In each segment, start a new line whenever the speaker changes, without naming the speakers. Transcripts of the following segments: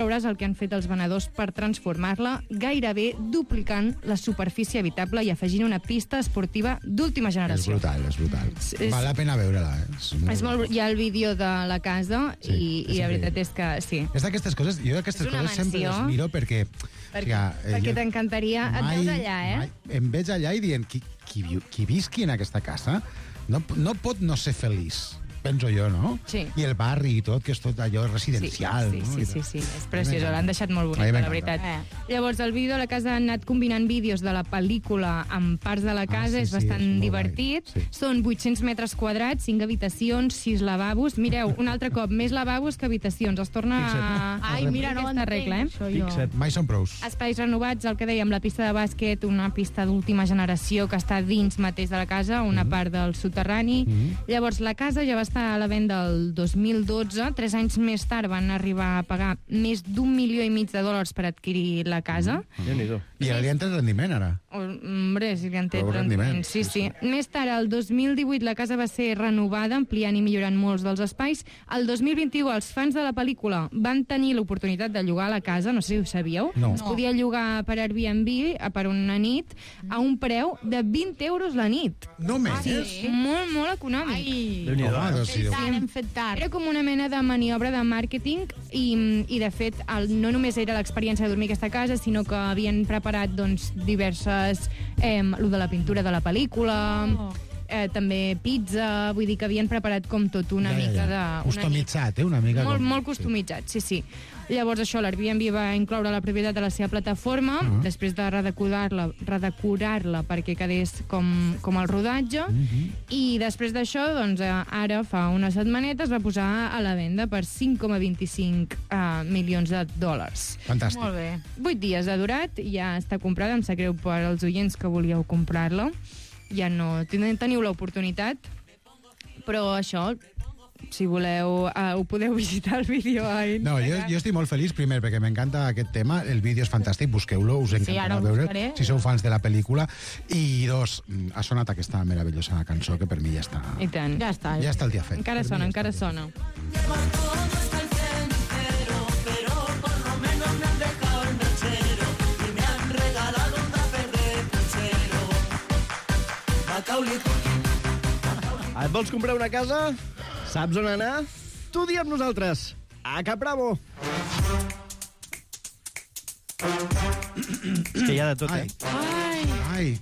veuràs el que han fet els venedors per transformar-la, gairebé duplicant la superfície habitable i afegint una pista esportiva d'última generació.
És brutal. Val la pena veure-la,
És molt... Hi ha el vídeo de la casa i la veritat és que sí.
És d'aquestes coses, jo d'aquestes coses sempre les miro perquè
t'encantaria, et veus allà,
Em veig allà i dient, qui visqui en aquesta casa no pot no ser feliç. Penso jo, no?
Sí.
I el barri i tot, que és tot allò residencial.
Sí, és preciós, l'han deixat molt bonica, la veritat. Llavors, el vídeo de la casa han anat combinant vídeos de la pel·lícula amb parts de la casa, és bastant divertit. Són 800 metres quadrats, 5 habitacions, 6 lavabos. Mireu, un altre cop, més lavabos que habitacions. Es torna a...
Ai, mira, no
aquesta regla,
Mai són prous.
Espais renovats, el que dèiem, la pista de bàsquet, una pista d'última generació que està dins mateix de la casa, una part del soterrani. Llavors, la casa ja va estar a la venda el 2012. 3 anys més tard van arribar a pagar més d'1,5 milió per adquirir la casa.
I ara li han tret rendiment, ara.
Hombre, sí li han tret rendiment. Sí. Més tard, el 2018, la casa va ser renovada, ampliant i millorant molts dels espais. El 2021, els fans de la pel·lícula van tenir l'oportunitat de llogar la casa, no sé si ho sabíeu. Es podia llogar per Airbnb per una nit a un preu de 20 euros la nit.
Només?
Sí, molt econòmic.
Hem fet tard.
Era com una mena de maniobra de màrqueting i de fet, no només era l'experiència de dormir a aquesta casa, sinó que havien preparat diverses... lo de la pintura de la pel·lícula... també pizza, vull dir que havien preparat com tot una mica de...
Customitzat, una mica...
Molt customitzat, sí. Llavors això, l'Airbnb va incloure la propietat de la seva plataforma, després de redecorar-la perquè quedés com el rodatge, i després d'això, doncs, ara, fa unes setmanetes, va posar a la venda per 5,25 milions de dòlars.
Fantàstic.
Molt bé.
8 dies ha durat, ja està comprada, em sap greu per als oients que volíeu comprar-la. Ja no teniu l'oportunitat, però això, si voleu, ho podeu visitar el vídeo a Instagram.
No, jo estic molt feliç, primer, perquè m'encanta aquest tema, el vídeo és fantàstic, busqueu-lo, us encantarà veure, si sou fans de la pel·lícula, i dos, ha sonat aquesta meravellosa cançó que per mi ja està...
I tant.
Ja està
el dia fet.
Encara sona.
Et vols comprar una casa? Saps on anar? Tu dia amb nosaltres. A Capravo. És que hi ha de tot,
Ai.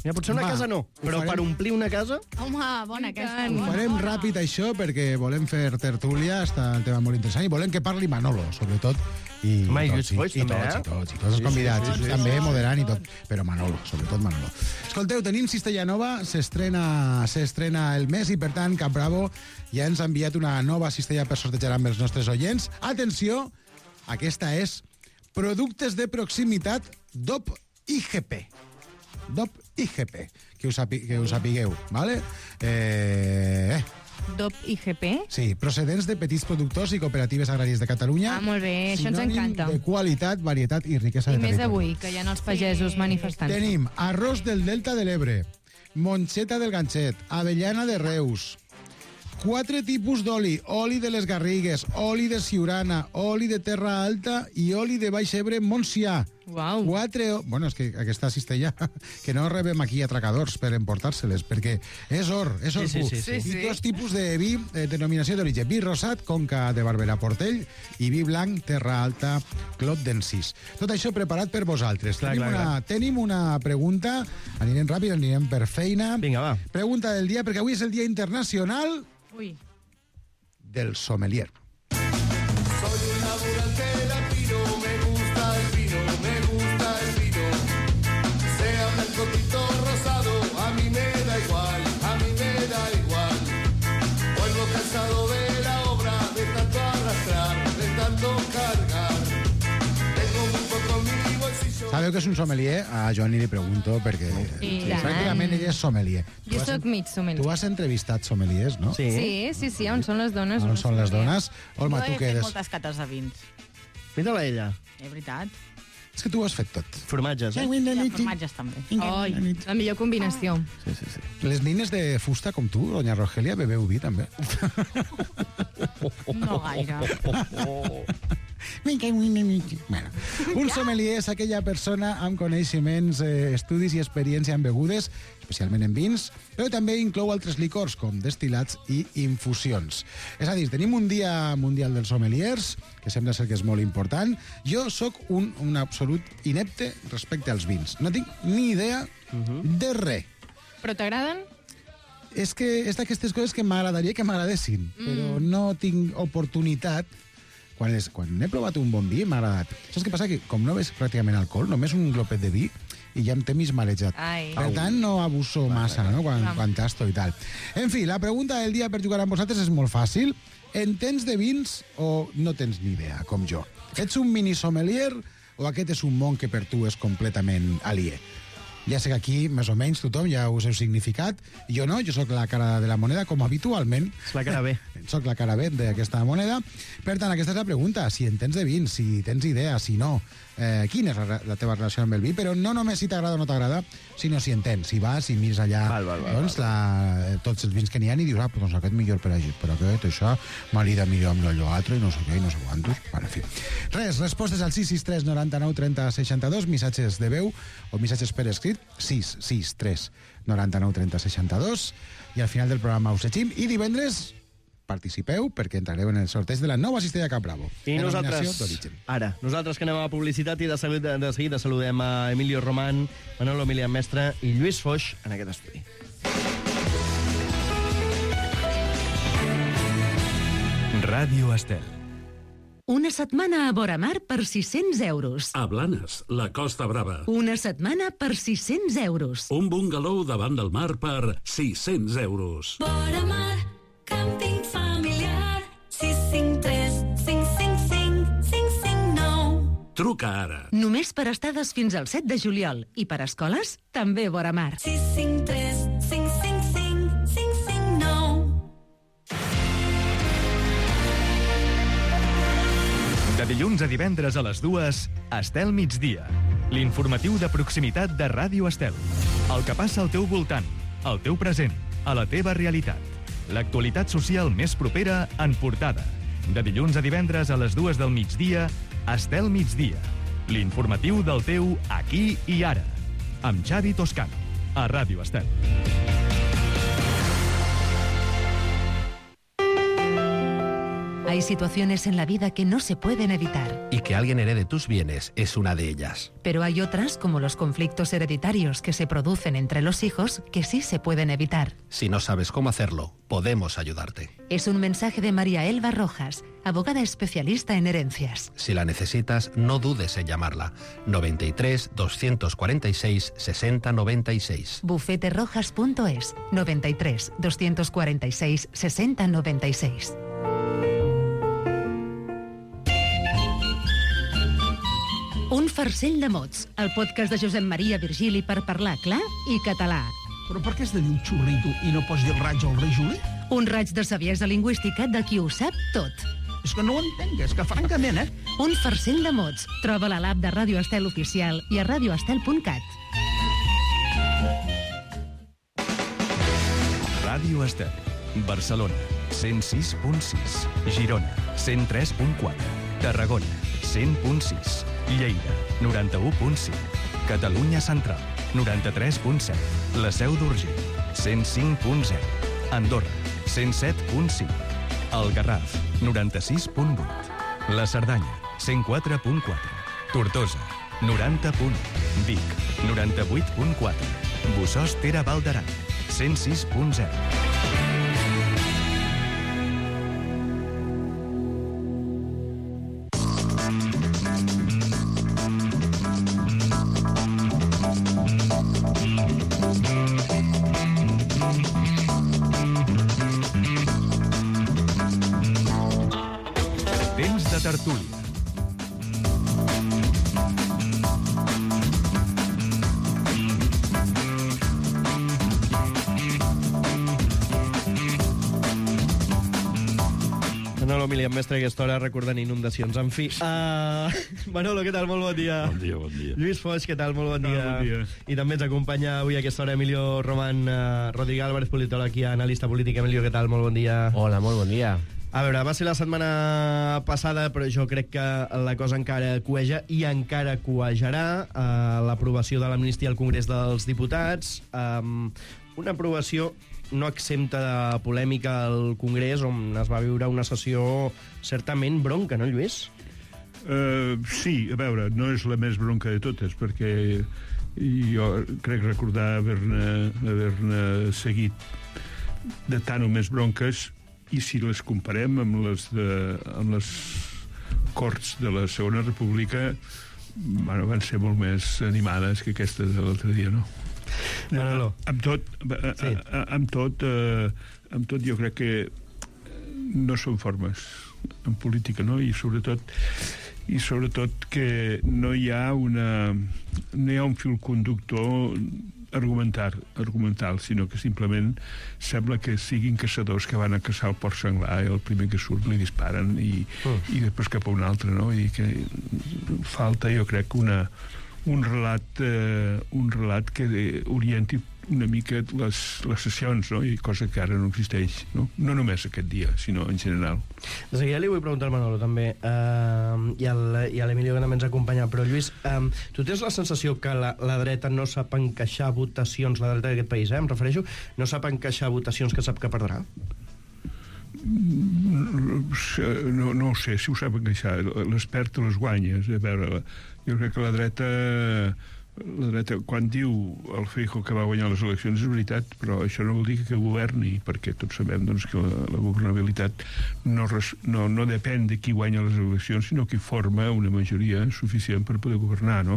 Mira, potser una casa no, però per omplir una casa...
Home, bona aquesta.
Ho farem ràpid, això, perquè volem fer tertúlia, està el tema molt interessant, i volem que parli Manolo, sobretot. I tots els convidats, també moderant i tot, però Manolo, sobretot Manolo. Escolteu, tenim Cistella Nova, s'estrena el mes i, per tant, Capravo ja ens ha enviat una nova cistella per sortejar amb els nostres oients. Atenció, aquesta és productes de proximitat DOP IGP. DOP IGP, que us sapigueu, ¿vale?
DOP IGP?
Sí, procedents de petits productors i cooperatives agràries de Catalunya.
Molt bé, això ens encanta.
Sinònim de qualitat, varietat i riquesa de territori.
I més avui, que hi ha els pagesos manifestant.
Tenim arròs del Delta de l'Ebre, monxeta del Ganxet, avellana de Reus, 4 tipus d'oli: oli de les Garrigues, oli de Siurana, oli de Terra Alta i oli de Baix Ebre Montsià.
Uau.
Bueno, és que aquesta cistella, que no rebem aquí atracadors per emportar-se-les, perquè és or pur. I 2 tipus de vi, denominació d'origen: vi rosat, Conca de Barberà Portell, i vi blanc, Terra Alta, Clot d'Encís. Tot això preparat per vosaltres. Tenim una pregunta, anirem ràpid, anirem per feina.
Vinga, va.
Pregunta del dia, perquè avui és el Dia Internacional del Sommelier.
Soy un laburante latino, me gusta el vino, sea blanco, tinto, rosado, a mí me da igual, vuelvo cansado de la obra, de tanto arrastrar, de tanto cargar, tengo muy poco en mi bolsillo.
Sabeu que és un sommelier? A Joan li pregunto, perquè pràcticament ell és sommelier.
Jo soc mig sommelier.
Tu has entrevistat sommeliers, no?
Sí, on són les dones?
On són les dones? Olma,
jo
tu
he
què
fet
eres?
moltes cates de vins.
Mira-la ella.
És veritat.
És que tu ho has fet tot.
Formatges,
I formatges també.
Ai, la millor combinació.
Sí.
Les nines de fusta com tu, doña Rogelia, bebeu vi també.
No gaire.
Bueno, un sommelier és aquella persona amb coneixements, estudis i experiència en begudes, especialment en vins, però també inclou altres licors, com destil·lats i infusions. És a dir, tenim un dia mundial dels sommeliers, que sembla ser que és molt important. Jo sóc un absolut inepte respecte als vins. No tinc ni idea de res.
Però t'agraden?
És que és d'aquestes coses que m'agradaria que m'agradessin, però no tinc oportunitat. Quan he provat un bon vi, m'ha agradat. Saps què passa? Que com no ves pràcticament alcohol, només un glopet de vi, i ja em té mig marejat. Per tant, no abuso massa, no?, quan tasto i tal. En fi, la pregunta del dia per jugar amb vosaltres és molt fàcil. Entens de vins o no tens ni idea, com jo? Ets un mini sommelier o aquest és un món que per tu és completament aliè? Ja sé que aquí, més o menys, tothom ja us heu significat. Jo no, jo sóc la cara de la moneda, com habitualment.
És la cara B.
Soc la cara B d'aquesta moneda. Per tant, aquesta és la pregunta. Si en tens de vins, si tens idea, si no, quina és la teva relació amb el vi? Però no només si t'agrada o no t'agrada, sinó si entens, si vas i mires allà tots els vins que n'hi ha i dius, doncs aquest millor per aquest, això, marida millor amb l'allò altre, i no sé què, i no sé quantos. Bueno, en fi. Res, respostes al 663 99 30 62, missatges de veu o missatges per escrit, 663 99 30 62, i al final del programa us llegim, i divendres participeu perquè entrareu en el sorteig de la nova cistella Cap Bravo.
I nosaltres que anem a publicitat i de seguida saludem a Emilio Román, Manolo Milian Mestre i Lluís Foix en aquest estudi.
Ràdio Estel.
Una setmana a Voramar per 600 euros.
A Blanes, la Costa Brava.
Una setmana per 600 euros.
Un bungalow davant del mar per 600 euros.
Voramar, càmping familiar, 653 555 559.
Truca ara.
Només per estades fins al 7 de juliol. I per escoles, també Voramar.
653 555 559.
De dilluns a divendres a les 2, Estel Migdia. L'informatiu de proximitat de Ràdio Estel. El que passa al teu voltant, al teu present, a la teva realitat. L'actualitat social més propera en portada. De dilluns a divendres a les 2 del migdia, Estel Migdia. L'informatiu del teu aquí i ara. Amb Xavi Toscano, a Ràdio Estel.
Hay situaciones en la vida que no se pueden evitar.
Y que alguien herede tus bienes es una de ellas.
Pero hay otras, como los conflictos hereditarios que se producen entre los hijos, que sí se pueden evitar.
Si no sabes cómo hacerlo, podemos ayudarte.
Es un mensaje de María Elba Rojas, abogada especialista en herencias.
Si la necesitas, no dudes en llamarla. 93 246 60 96.
Bufeterojas.es. 93 246 60 96. Un farcell de mots, el podcast de Josep Maria Virgili per parlar clar i català.
Però per què has de dir un xurrito i no pots dir raig al rei Juli?
Un raig de saviesa lingüística de qui ho sap tot.
És que no ho entenc, és que francament,
Un farcell de mots. Troba-la a l'app de Ràdio Estel Oficial i a radioestel.cat.
Ràdio Estel. Barcelona, 106.6. Girona, 103.4. Tarragona, 100.6. Lleida, 91.5. Catalunya Central, 93.7. La Seu d'Urgell, 105.0. Andorra, 107.5. El Garraf, 96.8. La Cerdanya, 104.4. Tortosa, 90.1. Vic, 98.4. Bossòst Tere Val d'Aran, 106.0. Temps de tertúlia.
Manolo Milian Mestre, a aquesta hora, recordant inundacions. En fi, Manolo, què tal? Molt bon dia.
Bon dia, bon dia.
Lluís Foix, què tal? Molt bon dia.
Bon dia.
I també ens acompanya avui a aquesta hora Emilio Román, Rodríguez Álvarez, politòleg i analista polític. Emilio, què tal? Molt bon dia.
Hola, molt bon dia.
A veure, va ser la setmana passada, però jo crec que la cosa encara cueja i encara cuejarà. L'aprovació de l'amnistia al Congrés dels Diputats, una aprovació no exempta de polèmica al Congrés, on es va viure una sessió certament bronca, no, Lluís?
Sí, a veure, no és la més bronca de totes, perquè jo crec recordar haver-ne seguit de tant o més bronques, i si les comparem amb les Corts de la Segona República, bueno, van ser molt més animades que aquestes de l'altre dia, no? Amb tot jo crec que no són formes en política, no? I sobretot que no hi ha un fil conductor argumental, sinó que simplement sembla que siguin caçadors que van a caçar el porc senglar i el primer que surt li disparen i després cap a un altre, no? I que falta, jo crec, un relat que orienti una mica les sessions, no? I cosa que ara no existeix, no? No només aquest dia, sinó en general.
De seguida li vull preguntar al Manolo també, i a l'Emilio que també ens acompanya, però Lluís, tu tens la sensació que la dreta no sap encaixar votacions, la dreta d'aquest país, em refereixo, no sap encaixar votacions que sap que perdrà?
No ho sé si ho sap encaixar, les perd o les guanyes. A veure, jo crec que la dreta, quan diu el Feijóo que va guanyar les eleccions, és veritat, però això no vol dir que governi, perquè tots sabem, doncs, que la governabilitat no depèn de qui guanya les eleccions, sinó qui forma una majoria suficient per poder governar, no?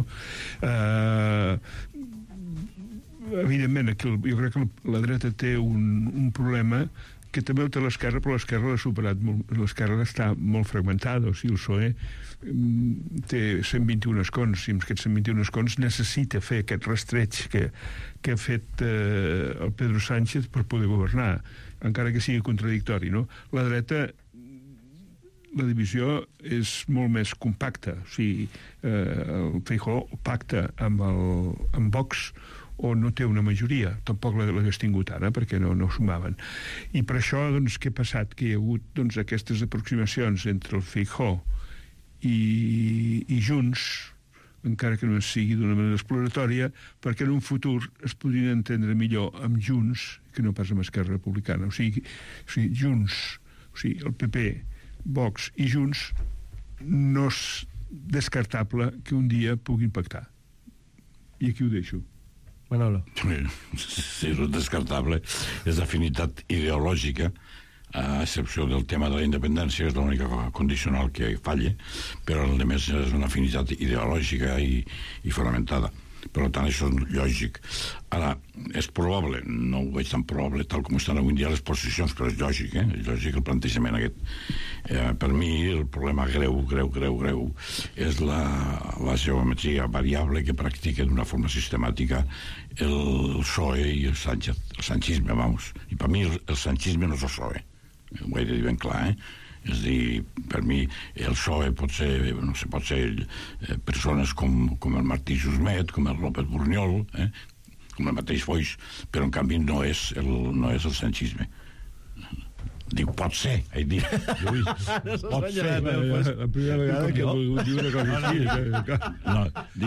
Evidentment, jo crec que la dreta té un problema que també ho té l'esquerra, però l'esquerra l'ha superat molt. L'esquerra està molt fragmentada, o sigui, el PSOE té 121 escons, i amb aquests 121 escons necessita fer aquest rastreig que ha fet el Pedro Sánchez per poder governar, encara que sigui contradictori, no? La dreta, la divisió és molt més compacta, o sigui, el Feijóo pacta amb Vox, o no té una majoria, tampoc l'hagués tingut ara, perquè no sumaven. I per això, doncs, què ha passat? Que hi ha hagut, doncs, aquestes aproximacions entre el Feijóo i Junts, encara que no sigui d'una manera exploratòria, perquè en un futur es podrien entendre millor amb Junts que no pas amb Esquerra Republicana. O sigui, Junts, o sigui, el PP, Vox i Junts, no és descartable que un dia puguin pactar. I aquí ho deixo.
Manolo.
Sí, és descartable. És d'afinitat ideològica, a excepció del tema de la independència, que és l'única condicional que falla, però el més és una afinitat ideològica i fonamentada. Per tant, això és lògic. Ara, és probable, no ho veig tan probable tal com estan avui en dia les posicions, però és lògic, és lògic el plantejament aquest. Per mi, el problema greu és la geometria variable que practica d'una forma sistemàtica el PSOE i el Sánchez, el sanchisme, vamos. I per mi el sanchisme no és el PSOE, ho he de dir ben clar, És a dir, per mi el PSOE pot ser persones com el Martí Jusmet, com el López Burniol, com el mateix Foix, però en canvi no és el sanchisme. Dic, pot ser, he dit. Pot ser.
La primera vegada que he volgut dir una cosa així.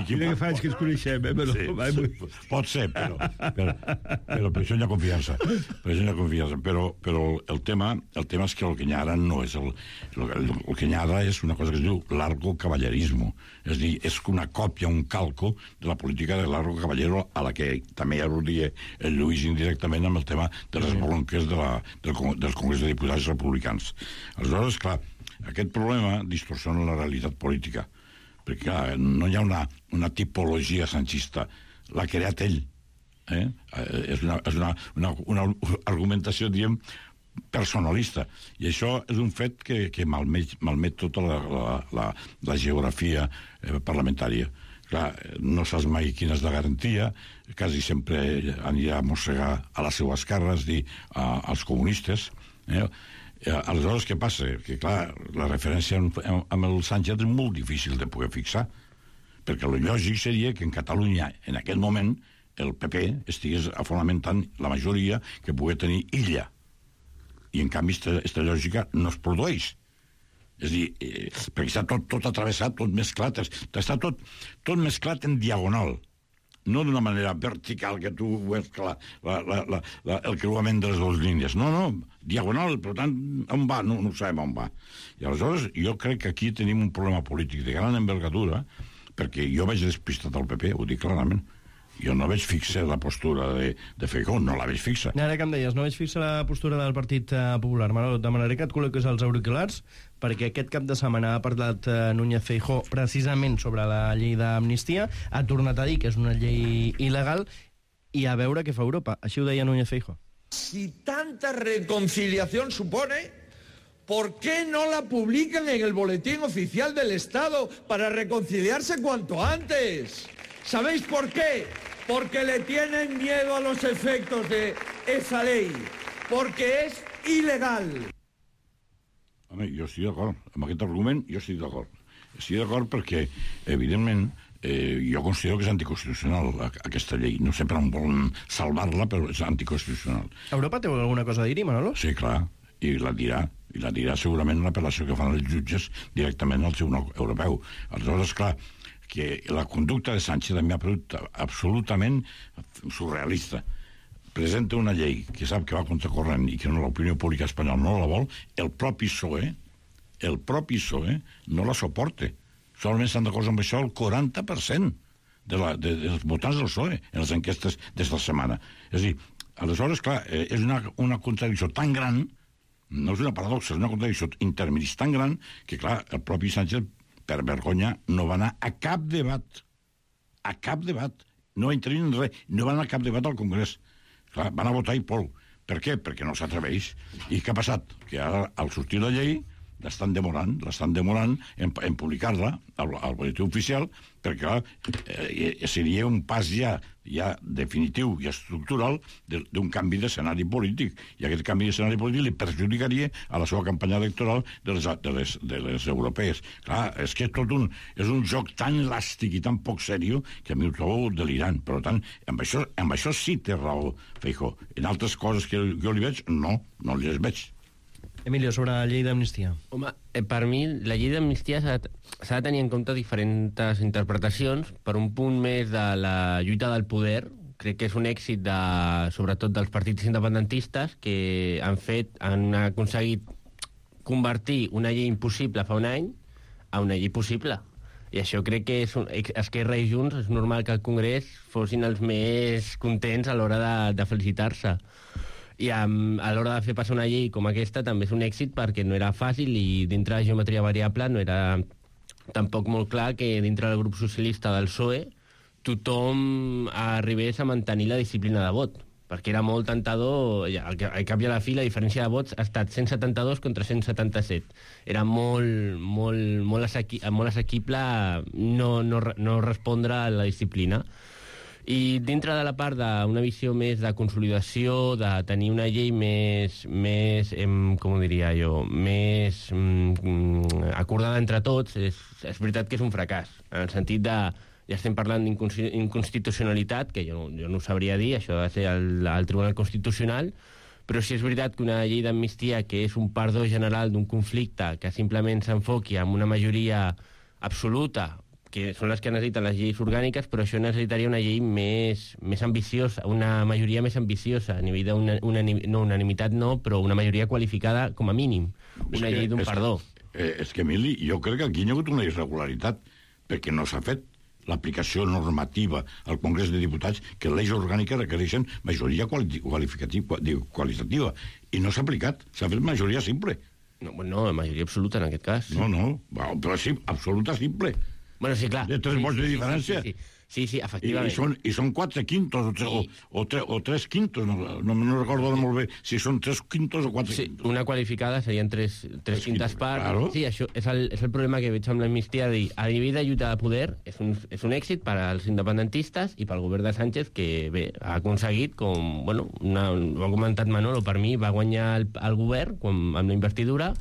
Quina que faig que ens coneixem,
Pot ser, però per això hi ha confiança. Però el tema és que el que hi ha ara no és el que hi ha ara és una cosa que es diu largo caballerismo. És a dir, és una còpia, un calco de la política de largo caballero, a la que també al·ludia el Lluís indirectament amb el tema de les bronques del Congrés de Diputats republicans. Aleshores, clar, aquest problema distorsiona la realitat política, perquè clar, no hi ha una tipologia sanchista, l'ha creat ell. És una argumentació, diguem, personalista, i això és un fet que malmet tota la geografia parlamentària. Clar, no saps mai quina és la garantia, quasi sempre anirà a mossegar a la seva esquerra, és dir, als comunistes. Aleshores, què passa? Que, clar, la referència amb el Sánchez és molt difícil de poder fixar, perquè el lògic seria que en Catalunya, en aquest moment, el PP estigués fonamentant la majoria que pugui tenir illa. i en canvi aquesta lògica no es produeix. És a dir, perquè està tot atravessat, tot mesclat, està tot mesclat en diagonal, no d'una manera vertical que tu veus el creuament de les dues línies. No, diagonal, per tant, on va? No sabem on va. I aleshores jo crec que aquí tenim un problema polític de gran envergadura, perquè jo vaig despistat al PP, ho dic clarament. Jo no veig fixa la postura de Feijóo, no la veig fixa.
Ara que em deies, no veig fixa la postura del Partit Popular. Manolo, demanaré que et col·loquis els auriculars, perquè aquest cap de setmana ha parlat Núñez Feijóo precisament sobre la llei d'amnistia, ha tornat a dir que és una llei il·legal, i a veure què fa Europa. Així ho deia Núñez Feijóo.
Si tanta reconciliación supone, ¿por qué no la publican en el Boletín Oficial del Estado para reconciliarse cuanto antes? ¿Sabéis por qué? Porque le tienen miedo a los efectos de esa ley, porque es ilegal.
Home, jo estic d'acord. Amb aquest argument jo estic d'acord. Estic d'acord perquè, evidentment, jo considero que és anticonstitucional aquesta llei. No sempre volen salvar-la, però és anticonstitucional.
Europa té alguna cosa a dir-hi, Manolo?
Sí, clar, i la dirà. I la dirà segurament una apel·lació que fan els jutges directament al Tribunal Europeu. Aleshores, clar, que la conducta de Sánchez a mi ha paregut absolutament surrealista. Presenta una llei que sap que va contracorrent i que l'opinió pública espanyola no la vol, el propi PSOE no la suporta. Solament estan d'acord amb això el 40% dels votants del PSOE en les enquestes d'esta setmana. És a dir, aleshores, clar, és una contradicció tan gran, no és una paradoxa, és una contradicció intermedis tan gran, que, clar, el propi Sánchez, per vergonya, no va anar a cap debat. A cap debat. No va intervenir en res. No va anar a cap debat al Congrés. Clar, van a votar i prou. Per què? Perquè no s'atreveix. I què ha passat? Que ara, al sortir la llei, l'estan demorant en publicar-la al boletí oficial, perquè seria un pas ja definitiu i estructural d'un canvi d'escenari polític, i aquest canvi d'escenari polític li perjudicaria a la seva campanya electoral de les europees. Clar, és que és un joc tan elàstic i tan poc seriós que a mi ho trobo delirant. Per tant, amb això sí té raó Feijóo. En altres coses que jo li veig, no les veig.
Emilio, sobre la llei d'amnistia.
Home, per mi la llei d'amnistia s'ha de tenir en compte diferents interpretacions. Per un punt més de la lluita del poder, crec que és un èxit sobretot dels partits independentistes que han aconseguit convertir una llei impossible fa un any a una llei possible. I això crec que Esquerra i Junts és normal que al Congrés fossin els més contents a l'hora de felicitar-se. I a l'hora de fer passar una llei com aquesta també és un èxit perquè no era fàcil i dintre de geometria variable no era tampoc molt clar que dintre del grup socialista del PSOE tothom arribés a mantenir la disciplina de vot, perquè era molt tentador, al cap i a la fi la diferència de vots ha estat 172 contra 177. Era molt assequible no respondre a la disciplina. I dintre de la part d'una visió més de consolidació, de tenir una llei més com ho diria jo, més acordada entre tots, és veritat que és un fracàs, en el sentit de, ja estem parlant d'inconstitucionalitat, que jo no ho sabria dir, això ha de ser el Tribunal Constitucional, però sí és veritat que una llei d'amnistia que és un perdó general d'un conflicte que simplement s'enfoqui amb una majoria absoluta, que són les que necessiten les lleis orgàniques, però això necessitaria una llei més ambiciosa, una majoria més ambiciosa, a nivell unanimitat no, però una majoria qualificada com a mínim, una llei d'un perdó.
És que, Emili, jo crec que aquí hi ha hagut una irregularitat, perquè no s'ha fet l'aplicació normativa al Congrés de Diputats que les lleis orgàniques requereixen majoria qualitativa, i no s'ha aplicat, s'ha fet majoria simple.
No, majoria absoluta en aquest cas.
No, però sí, absoluta simple.
Bueno, sí, clar.
De 3 vots de diferència.
Sí, efectivament.
I són 4 quintos o 3 quintos, no recordo molt bé si són 3 quintos o 4 quintos.
Una qualificada serien 3 quintes parts. Claro. Sí, això és el problema que veig amb l'amnistia, a nivell de lluita de poder és un èxit per als independentistes i pel govern de Sánchez, que bé, ha aconseguit, com, bueno, ho ha comentat Manolo, per mi va guanyar el govern amb la investidura,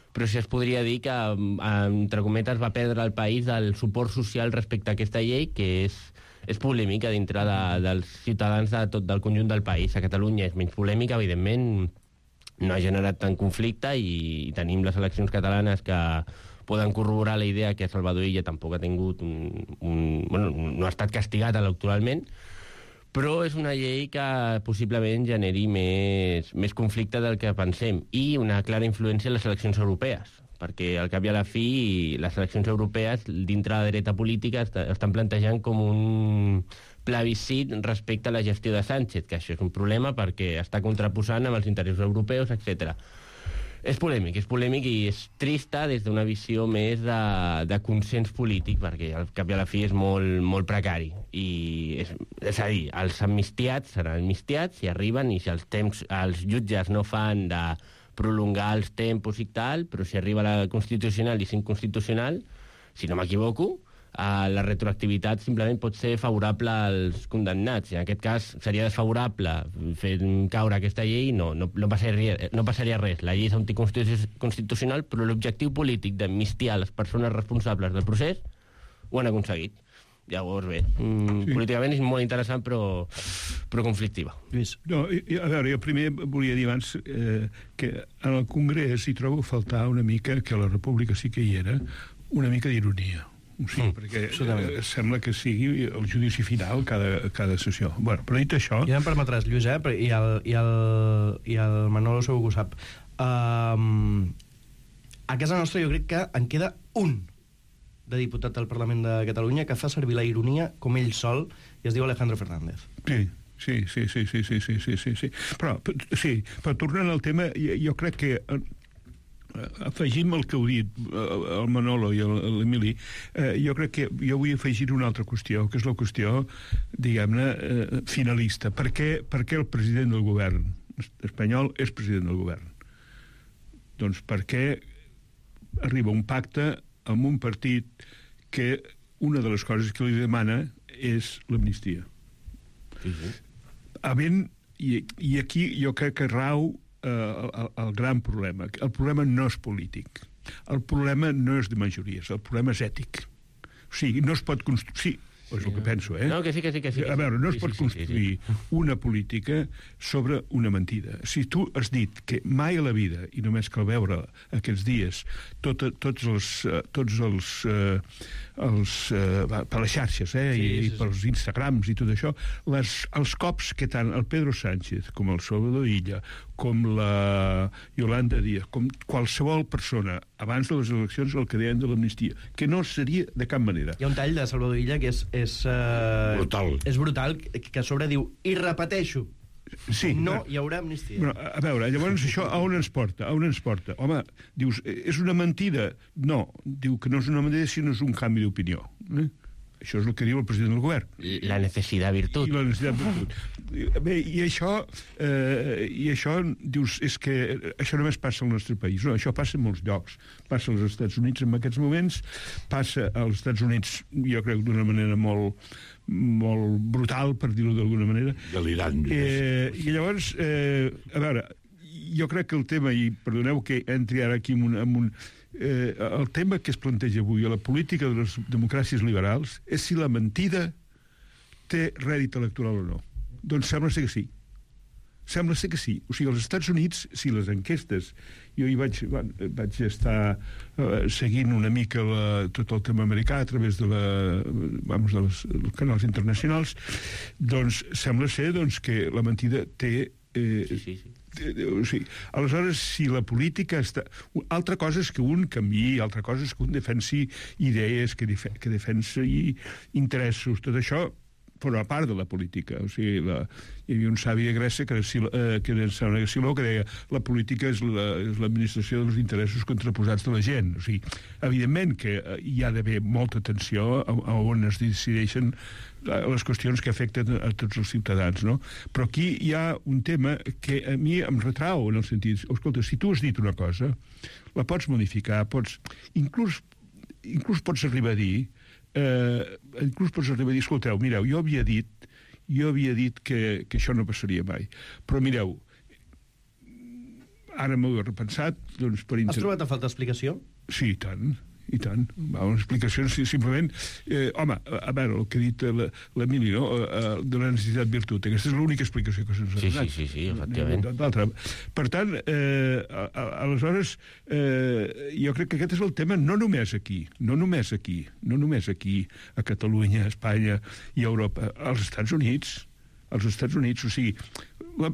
però sí es podria dir que, entre cometes, va perdre el país del suport social respecte a aquesta llei, que és polèmica dintre dels ciutadans del conjunt del país. A Catalunya és menys polèmica, evidentment, no ha generat tant conflicte i tenim les eleccions catalanes que poden corroborar la idea que Salvador Illa tampoc ha tingut bueno, no ha estat castigat electoralment, però és una llei que possiblement generi més conflicte del que pensem i una clara influència en les eleccions europees, perquè al cap i a la fi les eleccions europees dintre de la dreta política estan plantejant com un plebiscit respecte a la gestió de Sánchez, que això és un problema perquè està contraposant amb els interessos europeus, etc. És polèmic i és trista des d'una visió més de consens polític, perquè al cap i a la fi és molt precari. És a dir, els amnistiats seran amnistiats si arriben i si els jutges no fan de prolongar els tempos i tal, però si arriba la Constitucional i és inconstitucional, si no m'equivoco, la retroactivitat simplement pot ser favorable als condemnats. En aquest cas seria desfavorable fer caure aquesta llei, no passaria res. La llei és anticonstitucional, però l'objectiu polític d'amnistiar les persones responsables del procés ho han aconseguit. Llavors, bé, políticament és molt interessant, però conflictiva.
No, a veure, jo primer volia dir abans que en el Congrés hi trobo a faltar una mica, que a la República sí que hi era, una mica d'ironia. Sí, perquè sembla que sigui el judici final cada sessió. Bueno, però dit això...
Ja em permetràs, Lluís, i el Manolo segur que ho sap. A casa nostra jo crec que en queda un de diputat al Parlament de Catalunya que fa servir la ironia com ell sol i es diu Alejandro Fernández.
Sí. Però tornant al tema, jo crec que... afegim el que heu dit el Manolo i l'Emili, jo crec que jo vull afegir una altra qüestió, que és la qüestió, diguem-ne, finalista. Per què el president del govern espanyol és president del govern? Doncs perquè arriba un pacte amb un partit que una de les coses que li demana és l'amnistia. I aquí jo crec que rau el gran problema. El problema no és polític. El problema no és de majories. El problema és ètic. O sigui, no es pot construir... Sí, és el que penso,
No, que sí.
A veure, no es pot construir una política sobre una mentida. Si tu has dit que mai a la vida, i només cal veure aquests dies, tots els per les xarxes, i pels Instagrams i tot això, els cops que tant el Pedro Sánchez com el Salvador Illa, com la Yolanda Díaz, com qualsevol persona abans de les eleccions el que deien de l'amnistia, que no seria de cap manera.
Hi ha un tall de Salvador Illa que és brutal, que a sobre diu, i repeteixo, no hi haurà amnistia.
Bueno, a veure, llavors això a on ens porta? Home, dius, és una mentida? No, diu que no és una mentida sinó és un canvi d'opinió. Això és el que diu el president del govern.
La necessitat virtut.
La necessitat virtut. Bé, i això, dius, és que això només passa al nostre país. No, això passa en molts llocs. Passa als Estats Units en aquests moments, passa als Estats Units, jo crec, d'una manera molt brutal, per dir-ho d'alguna manera.
Delirant.
I llavors, a veure, jo crec que el tema, i perdoneu que entri ara aquí el tema que es planteja avui a la política de les democràcies liberals és si la mentida té rèdit electoral o no. Doncs sembla ser que sí. O sigui, als Estats Units, si les enquestes... Jo hi vaig estar seguint una mica tot el tema americà a través dels canals internacionals, doncs sembla ser que la mentida té... Sí. Aleshores, si la política està... Altra cosa és que un canviï, altra cosa és que un defensi idees, que defensi interessos, tot això forma part de la política. O sigui, hi havia un savi de Grècia que era Siló, que deia la política és l'administració dels interessos contraposats de la gent. O sigui, evidentment que hi ha d'haver molta atenció a on es decideixen les qüestions que afecten a tots els ciutadans, no? Però aquí hi ha un tema que a mi em retrau, en el sentit, escolta, si tu has dit una cosa, la pots modificar, inclús pots arribar a dir, escolteu, mireu, jo havia dit que això no passaria mai, però mireu, ara m'ho he repensat, doncs per...
Has trobat a falta explicació?
Sí, i tant. i tant. Una explicació simplement... home, a veure, el que ha dit l'Emili, no? De la necessitat virtut. Aquesta és l'única explicació que se'ns ha donat.
Sí, efectivament.
Per tant, aleshores, jo crec que aquest és el tema no només aquí, a Catalunya, a Espanya i a Europa, als Estats Units. O sigui,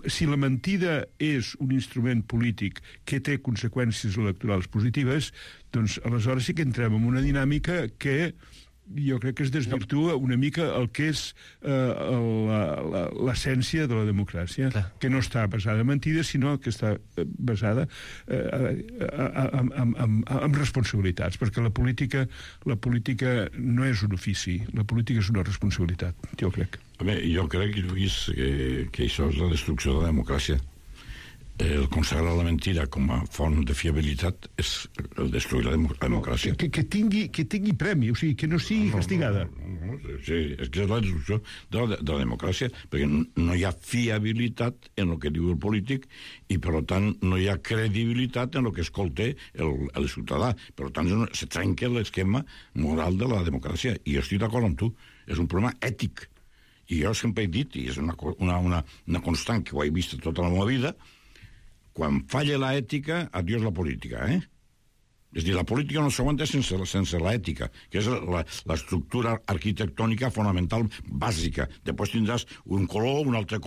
si la mentida és un instrument polític que té conseqüències electorals positives, doncs aleshores sí que entrem en una dinàmica que jo crec que es desvirtua una mica el que és l'essència de la democràcia, que no està basada en mentides, sinó que està basada en responsabilitats, perquè la política no és un ofici, la política és una responsabilitat, jo crec.
Jo crec, Lluís, que això és la destrucció de la democràcia. El consagrar la mentida com a font de fiabilitat és el destruir la democràcia.
Que tingui premi, o sigui, que no sigui castigada.
Sí, és que és la destrucció de la democràcia, perquè no hi ha fiabilitat en el que diu el polític i, per tant, no hi ha credibilitat en el que escolta el ciutadà. Per tant, se trenca l'esquema moral de la democràcia. I jo estic d'acord amb tu. És un problema ètic. I jo sempre he dit, i és una constant que ho he vist tota la meva vida, quan falla l'ètica, adiós la política, És a dir, la política no s'aguanta sense l'ètica, que és l'estructura arquitectònica fonamental bàsica. Després tindràs un color, una altra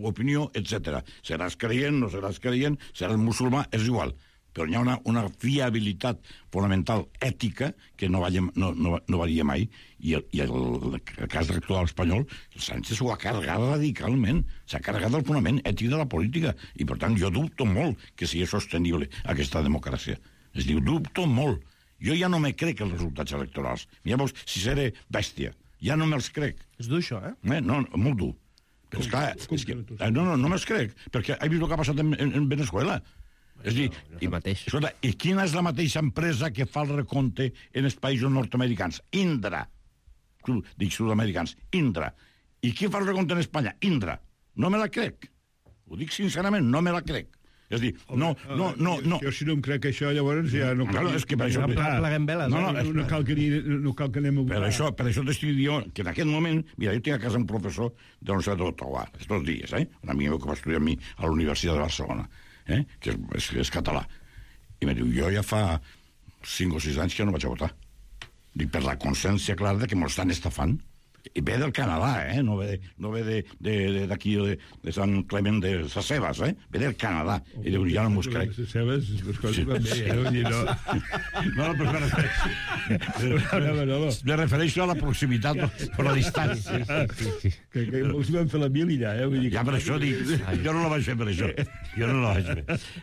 opinió, etc. Seràs creient, no seràs creient, seràs musulmà, és igual. Però hi ha una fiabilitat fonamental ètica que no varia mai. I el cas actual espanyol, el Sánchez ho ha carregat radicalment. S'ha carregat el fonament ètic de la política. I, per tant, jo dubto molt que sigui sostenible aquesta democràcia. Es diu, dubto molt. Jo ja no me crec els resultats electorals. Llavors, si seré bèstia, ja no me'ls crec.
És dur, això,
No, molt dur. Però, esclar, no me'ls crec, perquè he vist el que ha passat en Venezuela. És a dir, escolta, i quina és la mateixa empresa que fa el recompte en els països nord-americans? Indra. Dic sud-americans. Indra. I qui fa el recompte en Espanya? Indra. No me la crec. Ho dic sincerament, no me la crec. És a dir, no.
Jo si no em crec això, llavors ja no cal...
És que per això...
Pleguem veles.
No cal que anem a...
Per això t'estic dient que en aquest moment... Mira, jo tinc a casa un professor de la Universitat d'Ottawa, estos dies, un amic meu que va estudiar amb mi a la Universitat de Barcelona, que és català. I me diu, jo ja fa 5 o 6 anys que no vaig a votar. Dic, per la consciència clara que m'ho estan estafant. I ve del Canadà, no ve d'aquí, de Sant Clement de Sasebas, ve del Canadà. I diu, ja no m'ho crec.
Sasebas, les coses van bé,
No, però me refereixo a la proximitat, per la distància.
Que els van fer la mil i ja,
Ja, per això dic, jo no la vaig fer per això. Jo no la vaig fer.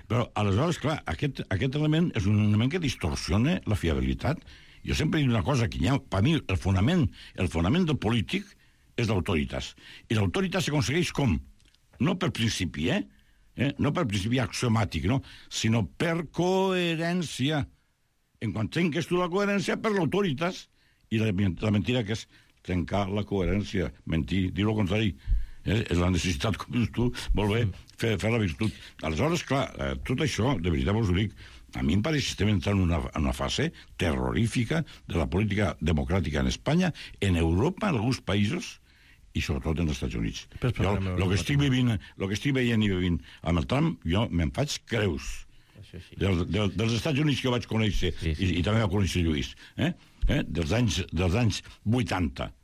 Però, aleshores, clar, aquest element és un element que distorsiona la fiabilitat. Jo sempre dic una cosa, que per mi el fonament del polític és l'autoritas. I l'autoritas s'aconsegueix com? No per principi, no per principi axiomàtic, no? Sinó per coherència. En quan trenques tu la coherència, per l'autoritas. I la mentida que és trencar la coherència, mentir, dir el contrari. És la necessitat, com dius tu, voler fer la virtut. Aleshores, clar, tot això, de veritat vos ho dic, a mi em pareix que estem entrant en una fase terrorífica de la política democràtica en Espanya, en Europa, en alguns països, i sobretot en els Estats Units. El que estic veient i vivint amb el Trump, jo me'n faig creus. Dels Estats Units que vaig conèixer, i també va conèixer Lluís, dels anys 80,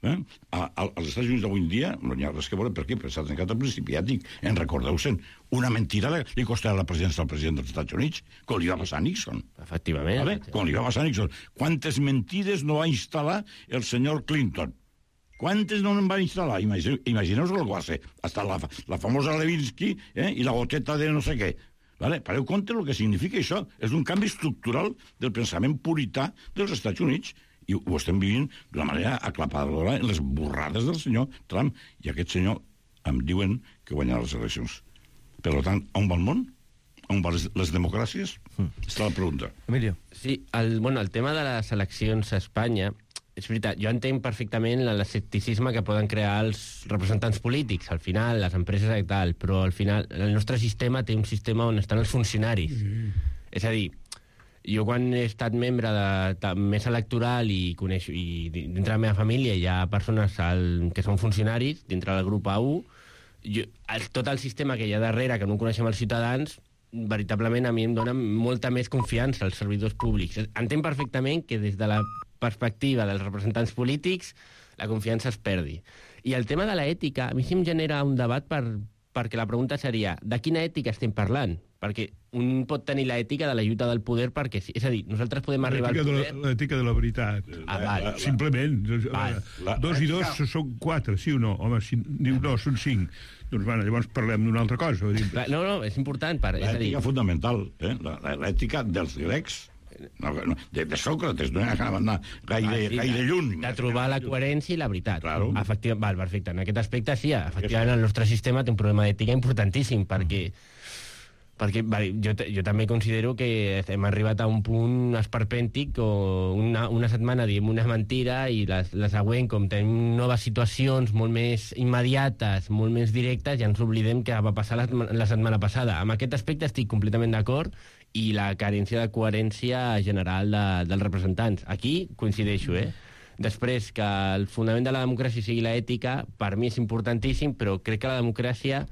als Estats Units d'avui en dia no hi ha res que veure. Per què? Perquè s'ha trencat el principi ètic. En recordeu-se'n, una mentida li costarà la presidència al president dels Estats Units, com li va passar a Nixon.
Efectivament.
Com li va passar a Nixon. Quantes mentides no va instal·lar el senyor Clinton? Quantes no en va instal·lar? Imagineu-vos el que va ser. Hasta la famosa Levinsky i la goteta de no sé què. Pareu compte el que significa això. És un canvi estructural del pensament purità dels Estats Units. I ho estem vivint d'una manera aclapadora en les borrades del senyor Trump. I aquest senyor em diuen que guanyarà les eleccions. Per tant, on va el món? On van les democràcies? Està la pregunta.
Emilio.
Sí, el tema de les eleccions a Espanya, és veritat, jo entenc perfectament l'escepticisme que poden crear els representants polítics, al final, les empreses i tal, però al final el nostre sistema té un sistema on estan els funcionaris. És a dir, Jo, quan he estat membre de mesa electoral i dintre la meva família hi ha persones que són funcionaris, dintre del grup A1, tot el sistema que hi ha darrere, que no coneixem els ciutadans, veritablement a mi em dona molta més confiança als servidors públics. Entenc perfectament que des de la perspectiva dels representants polítics la confiança es perdi. I el tema de l'ètica, a mi sí em genera un debat perquè la pregunta seria, de quina ètica estem parlant? Perquè un pot tenir l'ètica de la lluita del poder perquè sí. És a dir, nosaltres podem arribar al poder...
L'ètica de la veritat. Simplement. 2 i 2 són 4, sí o no? Home, si diu no, són 5. Doncs llavors parlem d'una altra cosa.
No, és important.
L'ètica fonamental, l'ètica dels grecs, de Sòcrates, no hi ha gaire lluny.
De trobar la coherència i la veritat. Val, perfecte. En aquest aspecte, sí, efectivament, el nostre sistema té un problema d'ètica importantíssim, perquè jo també considero que hem arribat a un punt esperpèntic o una setmana diem una mentira i la següent, com tenim noves situacions molt més immediates, molt més directes, ja ens oblidem que va passar la setmana passada. Amb aquest aspecte estic completament d'acord i la carència de coherència general dels representants. Aquí coincideixo, Després, que el fonament de la democràcia sigui l'ètica, per mi és importantíssim, però crec que la democràcia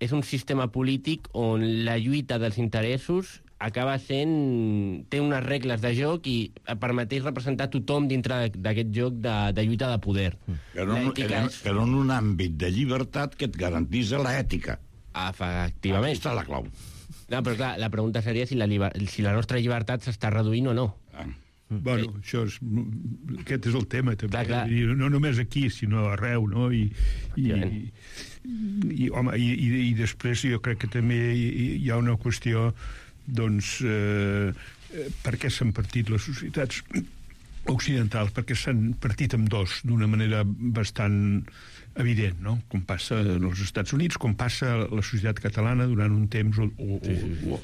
és un sistema polític on la lluita dels interessos acaba sent... té unes regles de joc i permeteix representar tothom dintre d'aquest joc de lluita de poder.
Però en un àmbit de llibertat que et garantitza l'ètica.
Efectivament.
Aquesta és la clau.
No, però clar, la pregunta seria si la nostra llibertat s'està reduint o no.
Bueno, aquest és el tema, també. Clar. No només aquí, sinó arreu, no? I després jo crec que també hi ha una qüestió, doncs, per què s'han partit les societats occidentals? Perquè s'han partit amb dos, d'una manera bastant evident, no? Com passa als Estats Units, com passa a la societat catalana durant un temps ha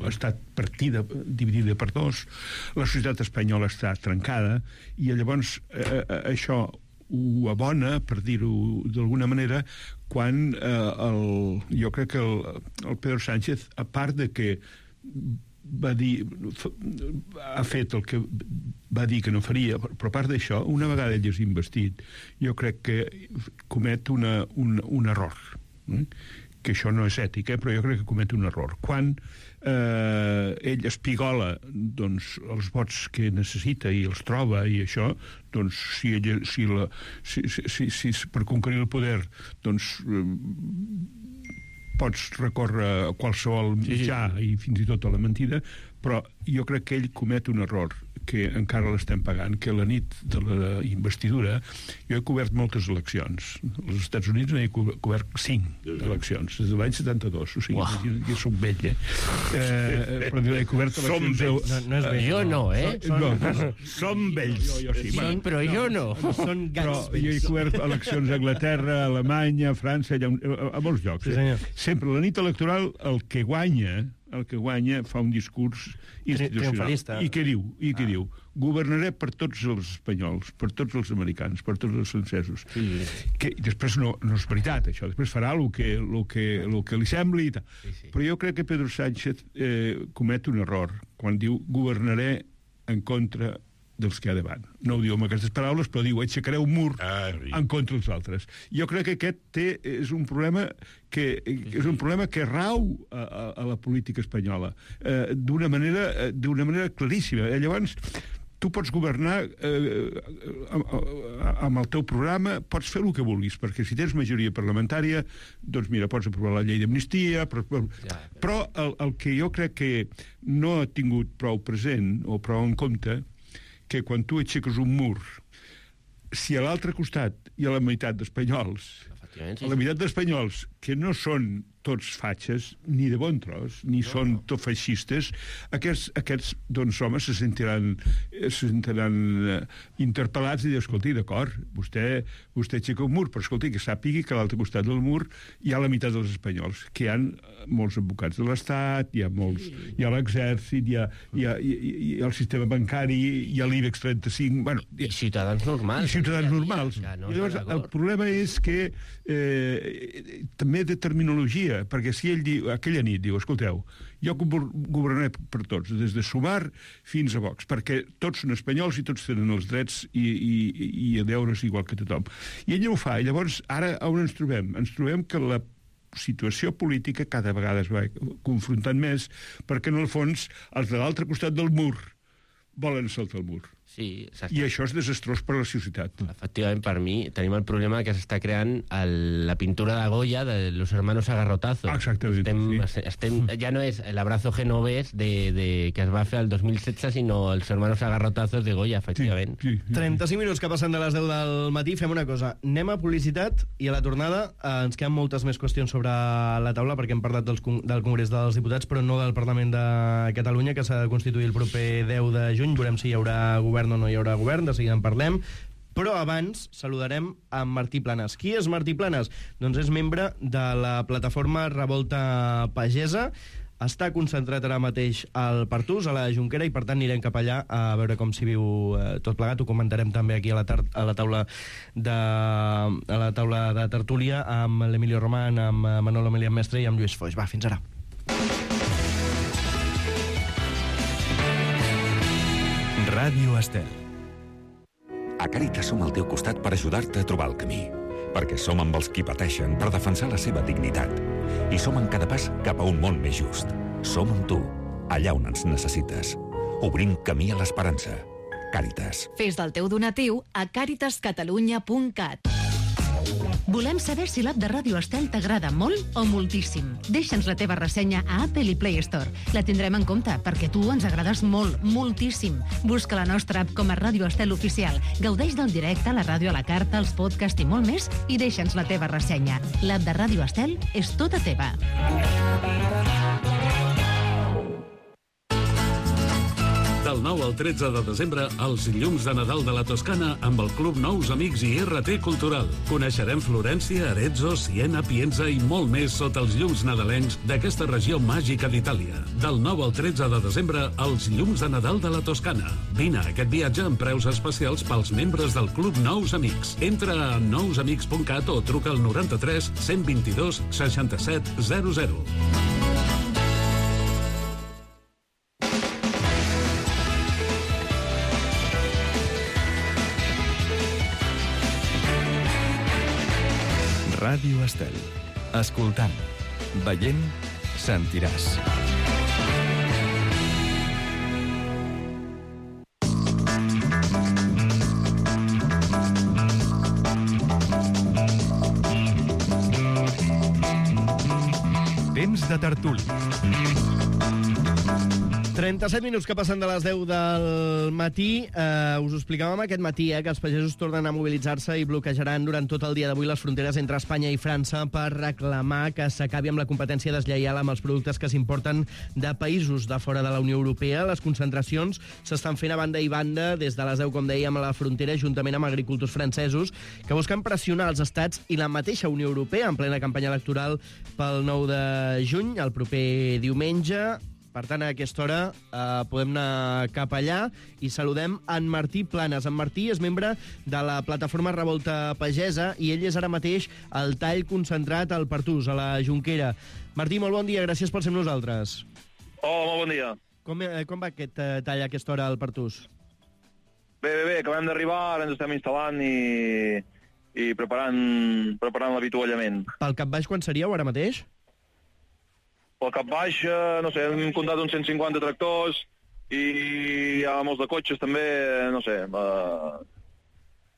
estat partida, dividida per dos, la societat espanyola està trencada, i llavors això ho abona, per dir-ho d'alguna manera, quan jo crec que el Pedro Sánchez, a part de que va dir, ha fet el que va dir que no faria, però a part d'això, una vegada ell és investit, jo crec que comet un error, que això no és ètic, però jo crec que comet un error. Quan ell espigola, doncs, els vots que necessita i els troba i això, doncs, si per conquerir el poder, doncs, pots recórrer a qualsevol mitjà i fins i tot a la mentida, però jo crec que ell comet un error que encara l'estem pagant, que la nit de la investidura jo he cobert moltes eleccions. Als Estats Units n'he cobert 5 eleccions, des de l'any 72, o sigui, jo soc vell, però he cobert eleccions...
No és vell. Jo no,
Som vells.
Sí, però jo no.
Però jo he cobert eleccions a Anglaterra, a Alemanya, a França, a molts llocs. Sempre la nit electoral el que guanya fa un discurs institucional. I què diu? Governaré per tots els espanyols, per tots els americans, per tots els francesos. Que després no és veritat, això. Després farà el que li sembli i tal. Però jo crec que Pedro Sánchez comet un error quan diu governaré en contra dels que hi ha davant. No ho diu amb aquestes paraules, però diu aixecaré un mur en contra dels altres. Jo crec que aquest és un problema que rau a la política espanyola d'una manera claríssima. Llavors, tu pots governar amb el teu programa, pots fer el que vulguis, perquè si tens majoria parlamentària, doncs mira, pots aprovar la llei d'amnistia, però el que jo crec que no ha tingut prou present o prou en compte, que quan tu aixeques un mur, si a l'altre costat hi ha la meitat d'espanyols, que no són tots fatxes, ni de bon tros, ni són tot feixistes, aquests doncs, homes se sentiran interpel·lats i dir, escolti, d'acord, vostè aixeca un mur, però escolti, que sàpigui que a l'altre costat del mur hi ha la meitat dels espanyols, que hi ha molts advocats de l'Estat, hi ha l'exèrcit, hi ha el sistema bancari, hi ha l'IBEX 35... Bueno,
i ciutadans normals.
Llavors, el problema és que també de terminologia dia, perquè si ell diu, aquella nit diu, escolteu, jo governaré per tots, des de Sumar fins a Vox, perquè tots són espanyols i tots tenen els drets i deures igual que tothom. I ell ho fa, i llavors ara on ens trobem? Ens trobem que la situació política cada vegada es va confrontant més, perquè en el fons els de l'altre costat del mur volen saltar el mur.
Sí,
i això és desastrós per a la societat.
Efectivament, per mi, tenim el problema que s'està creant la pintura de Goya de los hermanos agarrotazos.
Exactament.
Ja no és l'abrazo genovès que es va fer el 2016, sinó els hermanos agarrotazos de Goya, efectivament.
Sí. 35 minuts que passen de les 10 del matí. Fem una cosa, anem a publicitat i a la tornada ens queden moltes més qüestions sobre la taula, perquè hem parlat del Congrés dels Diputats, però no del Parlament de Catalunya, que s'ha de constituir el proper 10 de juny. Veurem si hi haurà govern o no hi haurà govern, de seguida en parlem. Però abans saludarem a Martí Planes. Qui és Martí Planes? Doncs és membre de la plataforma Revolta Pagesa. Està concentrat ara mateix al Pertús, a la Jonquera, i per tant anirem cap allà a veure com s'hi viu tot plegat. Ho comentarem també aquí a la taula de tertúlia amb l'Emilio Román, amb Manolo Melián Mestre i amb Lluís Foix. Va, fins ara.
Ràdio Estel.
A Càritas som al teu costat per ajudar-te a trobar el camí. Perquè som amb els qui pateixen per defensar la seva dignitat. I som en cada pas cap a un món més just. Som amb tu, allà on ens necessites. Obrim camí a l'esperança. Càritas.
Fes del teu donatiu a caritascatalunya.cat.
Volem saber si l'app de Ràdio Estel t'agrada molt o moltíssim. Deixa'ns la teva ressenya a Apple i Play Store. La tindrem en compte, perquè tu ens agrades molt, moltíssim. Busca la nostra app com a Ràdio Estel Oficial. Gaudeix del directe, la ràdio a la carta, els podcasts i molt més, i deixa'ns la teva ressenya. L'app de Ràdio Estel és tota teva.
Del 9 al 13 de desembre, els llums de Nadal de la Toscana amb el Club Nous Amics i RT Cultural. Coneixerem Florència, Arezzo, Siena, Pienza i molt més sota els llums nadalencs d'aquesta regió màgica d'Itàlia. Del 9 al 13 de desembre, els llums de Nadal de la Toscana. Vine a aquest viatge amb preus especials pels membres del Club Nous Amics. Entra a nousamics.cat o truca al 93 122 67 00.
Ràdio Estel. Escoltant, veient, sentiràs. Temps de tertúlia.
37 minuts que passen de les 10 del matí. Us ho explicàvem aquest matí, que els pagesos tornen a mobilitzar-se i bloquejaran durant tot el dia d'avui les fronteres entre Espanya i França per reclamar que s'acabi amb la competència deslleial amb els productes que s'importen de països de fora de la Unió Europea. Les concentracions s'estan fent a banda i banda des de les 10, com dèiem, a la frontera, juntament amb agricultors francesos que busquen pressionar els estats i la mateixa Unió Europea en plena campanya electoral pel 9 de juny, el proper diumenge. Per tant, a aquesta hora podem anar cap allà i saludem en Martí Planes. En Martí és membre de la plataforma Revolta Pagesa i ell és ara mateix al tall concentrat al Pertús, a la Jonquera. Martí, molt bon dia, gràcies per ser amb nosaltres.
Hola, molt bon dia.
Com va aquest tall a aquesta hora al Pertús?
Bé, acabem d'arribar, ara ens estem instal·lant i preparant l'avituallament.
Pel cap baix quan seríeu ara mateix?
Pel cap baix, no sé, hem comptat uns 150 tractors i hi ha molts de cotxes també, no sé, hem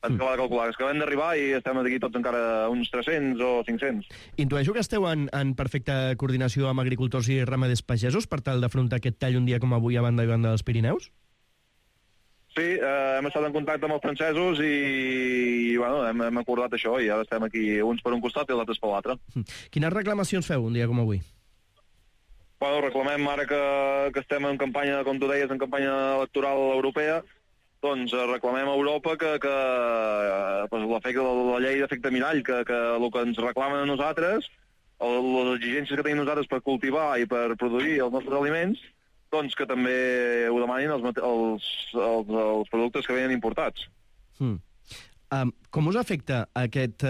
acabat de calcular. És que acabem d'arribar i estem aquí tots encara uns 300 o 500.
Intueixo que esteu en perfecta coordinació amb agricultors i ramaders pagesos per tal d'afrontar aquest tall un dia com avui a banda i banda dels Pirineus?
Sí, hem estat en contacte amb els francesos i bueno, hem acordat això i ara estem aquí uns per un costat i els altres per l'altre.
Quines reclamacions feu un dia com avui?
Bueno, reclamem ara que estem en campanya, com tu deies, en campanya electoral europea, doncs reclamem a Europa que l'efecte de la llei d'efecte mirall, que el que ens reclamen a nosaltres, les exigències que tenim nosaltres per cultivar i per produir els nostres aliments, doncs que també ho demanin els productes que venen importats.
Com us afecta aquest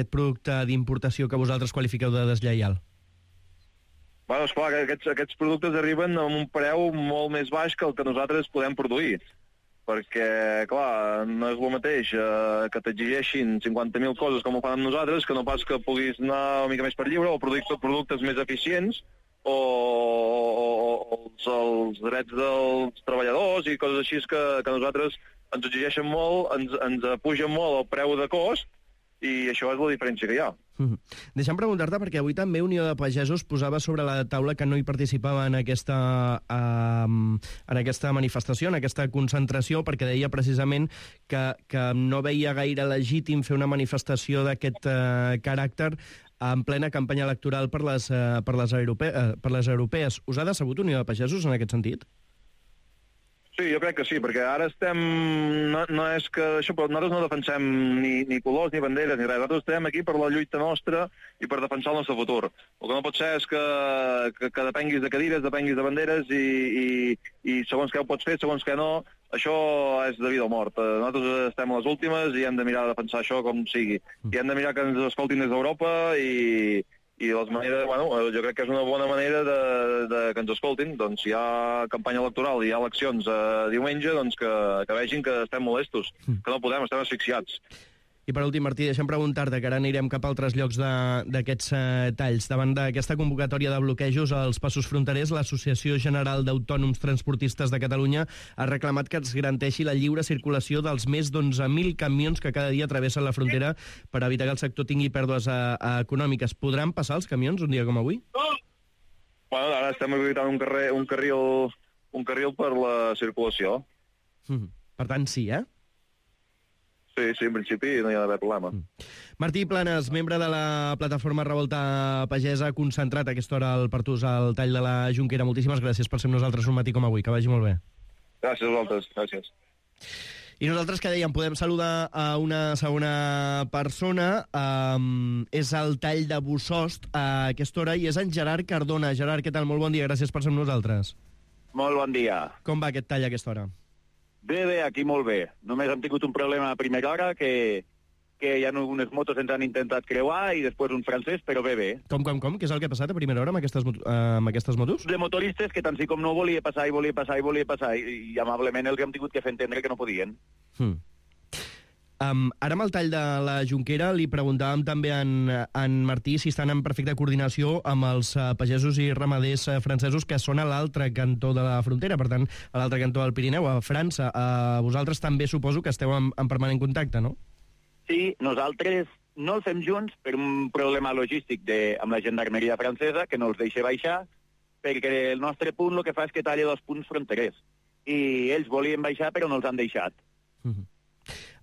producte d'importació que vosaltres qualifiqueu de deslleial?
Bueno, esclar, que aquests productes arriben a un preu molt més baix que el que nosaltres podem produir. Perquè, clar, no és el mateix que t'exigeixin 50.000 coses com ho fan amb nosaltres, que no pas que puguis anar una mica més per lliure, o productes més eficients, o els drets dels treballadors i coses així que nosaltres ens exigeixen molt, ens pugen molt el preu de cost, i això és la diferència que hi ha.
Deixa'm preguntar-te, perquè avui també Unió de Pagesos posava sobre la taula que no hi participava en aquesta manifestació, en aquesta concentració, perquè deia precisament que no veia gaire legítim fer una manifestació d'aquest caràcter en plena campanya electoral per les europees. Us ha decebut Unió de Pagesos en aquest sentit?
Sí, jo crec que sí, perquè ara estem... No és que això, però nosaltres no defensem ni colors, ni banderes, ni res. Nosaltres estem aquí per la lluita nostra i per defensar el nostre futur. El que no pot ser és que depenguis de cadires, depenguis de banderes i segons què ho pots fer, segons què no, això és de vida o mort. Nosaltres estem a les últimes i hem de mirar de defensar això com sigui. I hem de mirar que ens escoltin des d'Europa i les maneres, bueno, jo crec que és una bona manera de que ens escoltin. Doncs si hi ha campanya electoral i hi ha eleccions diumenge, doncs que vegin que estem molestos, que no podem, estem asfixiats.
I per últim, Martí, deixa'm preguntar-te, que ara anirem cap a altres llocs d'aquests talls. Davant d'aquesta convocatòria de bloquejos als passos fronterers, l'Associació General d'Autònoms Transportistes de Catalunya ha reclamat que es garanteixi la lliure circulació dels més d'11.000 camions que cada dia travessen la frontera per evitar que el sector tingui pèrdues econòmiques. Podran passar els camions un dia com avui?
Bueno, ara estem habilitant un carril per la circulació.
Per tant, sí, eh?
Sí, en principi no hi ha d'haver problema.
Martí Planes, membre de la plataforma Revolta Pagesa, concentrat a aquesta hora al Pertús al tall de la Jonquera. Moltíssimes gràcies per ser amb nosaltres un matí com avui. Que vagi molt bé.
Gràcies a vosaltres. Gràcies.
I nosaltres, que dèiem, podem saludar a una segona persona. És el tall de Bussost a aquesta hora i és en Gerard Cardona. Gerard, què tal? Molt bon dia. Gràcies per ser amb nosaltres.
Molt bon dia.
Com va aquest tall a aquesta hora?
Bé, aquí molt bé. Només hem tingut un problema a primera hora, que hi ha unes motos ens han intentat creuar i després un francès, però bé.
Com? Què és el que ha passat a primera hora amb aquestes motos?
De motoristes que tant sí com no volia passar i amablement els hem tingut que fer entendre que no podien.
Ara amb el tall de la Jonquera li preguntàvem també a en Martí si estan en perfecta coordinació amb els pagesos i ramaders francesos que són a l'altre cantó de la frontera, per tant, a l'altre cantó del Pirineu, a França. Vosaltres també suposo que esteu en permanent contacte, no?
Sí, nosaltres no el fem junts per un problema logístic amb la gendarmeria francesa, que no els deixa baixar, perquè el nostre punt el que fa és que talla 2 punts fronterers. I ells volien baixar, però no els han deixat.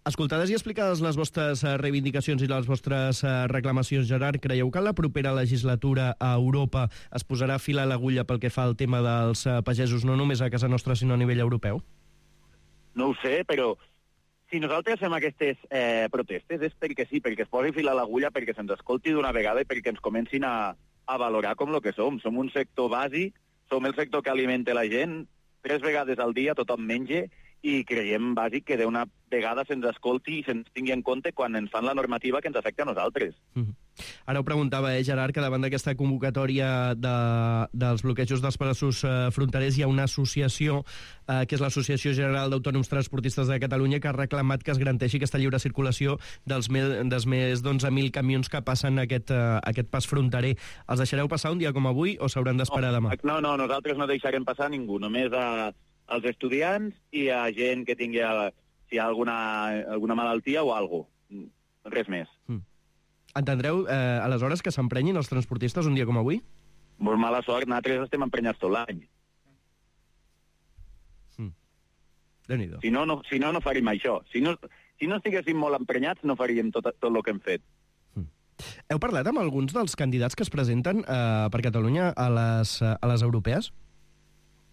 Escoltades i explicades les vostres reivindicacions i les vostres reclamacions, Gerard, creieu que en la propera legislatura a Europa es posarà fil a l'agulla pel que fa al tema dels pagesos, no només a casa nostra, sinó a nivell europeu?
No ho sé, però si nosaltres fem aquestes protestes és perquè sí, perquè es posi fil a l'agulla, perquè se'ns escolti d'una vegada i perquè ens comencin a valorar com el que som. Som un sector bàsic, som el sector que alimenta la gent, 3 vegades al dia tothom menja, i creiem bàsic que d'una vegada se'ns escolti i se'ns tingui en compte quan ens fan la normativa que ens afecta a nosaltres.
Ara ho preguntava, Gerard, que davant d'aquesta convocatòria dels bloquejos dels passos fronterers hi ha una associació, que és l'Associació General d'Autònoms Transportistes de Catalunya, que ha reclamat que es garanteixi aquesta lliure circulació dels més d'11.000 camions que passen aquest pas fronterer. Els deixareu passar un dia com avui o s'hauran d'esperar demà?
No, nosaltres no deixarem passar ningú, només als estudiants i a gent que tingui si hi ha alguna malaltia o alguna cosa. Res més.
Entendreu, aleshores, que s'emprenyin els transportistes un dia com avui?
Molt mala sort, nosaltres estem emprenyats tot l'any.
Déu-n'hi-do.
Si no faríem això. Si no estiguéssim molt emprenyats, no faríem tot el que hem fet.
Heu parlat amb alguns dels candidats que es presenten per Catalunya a les europees?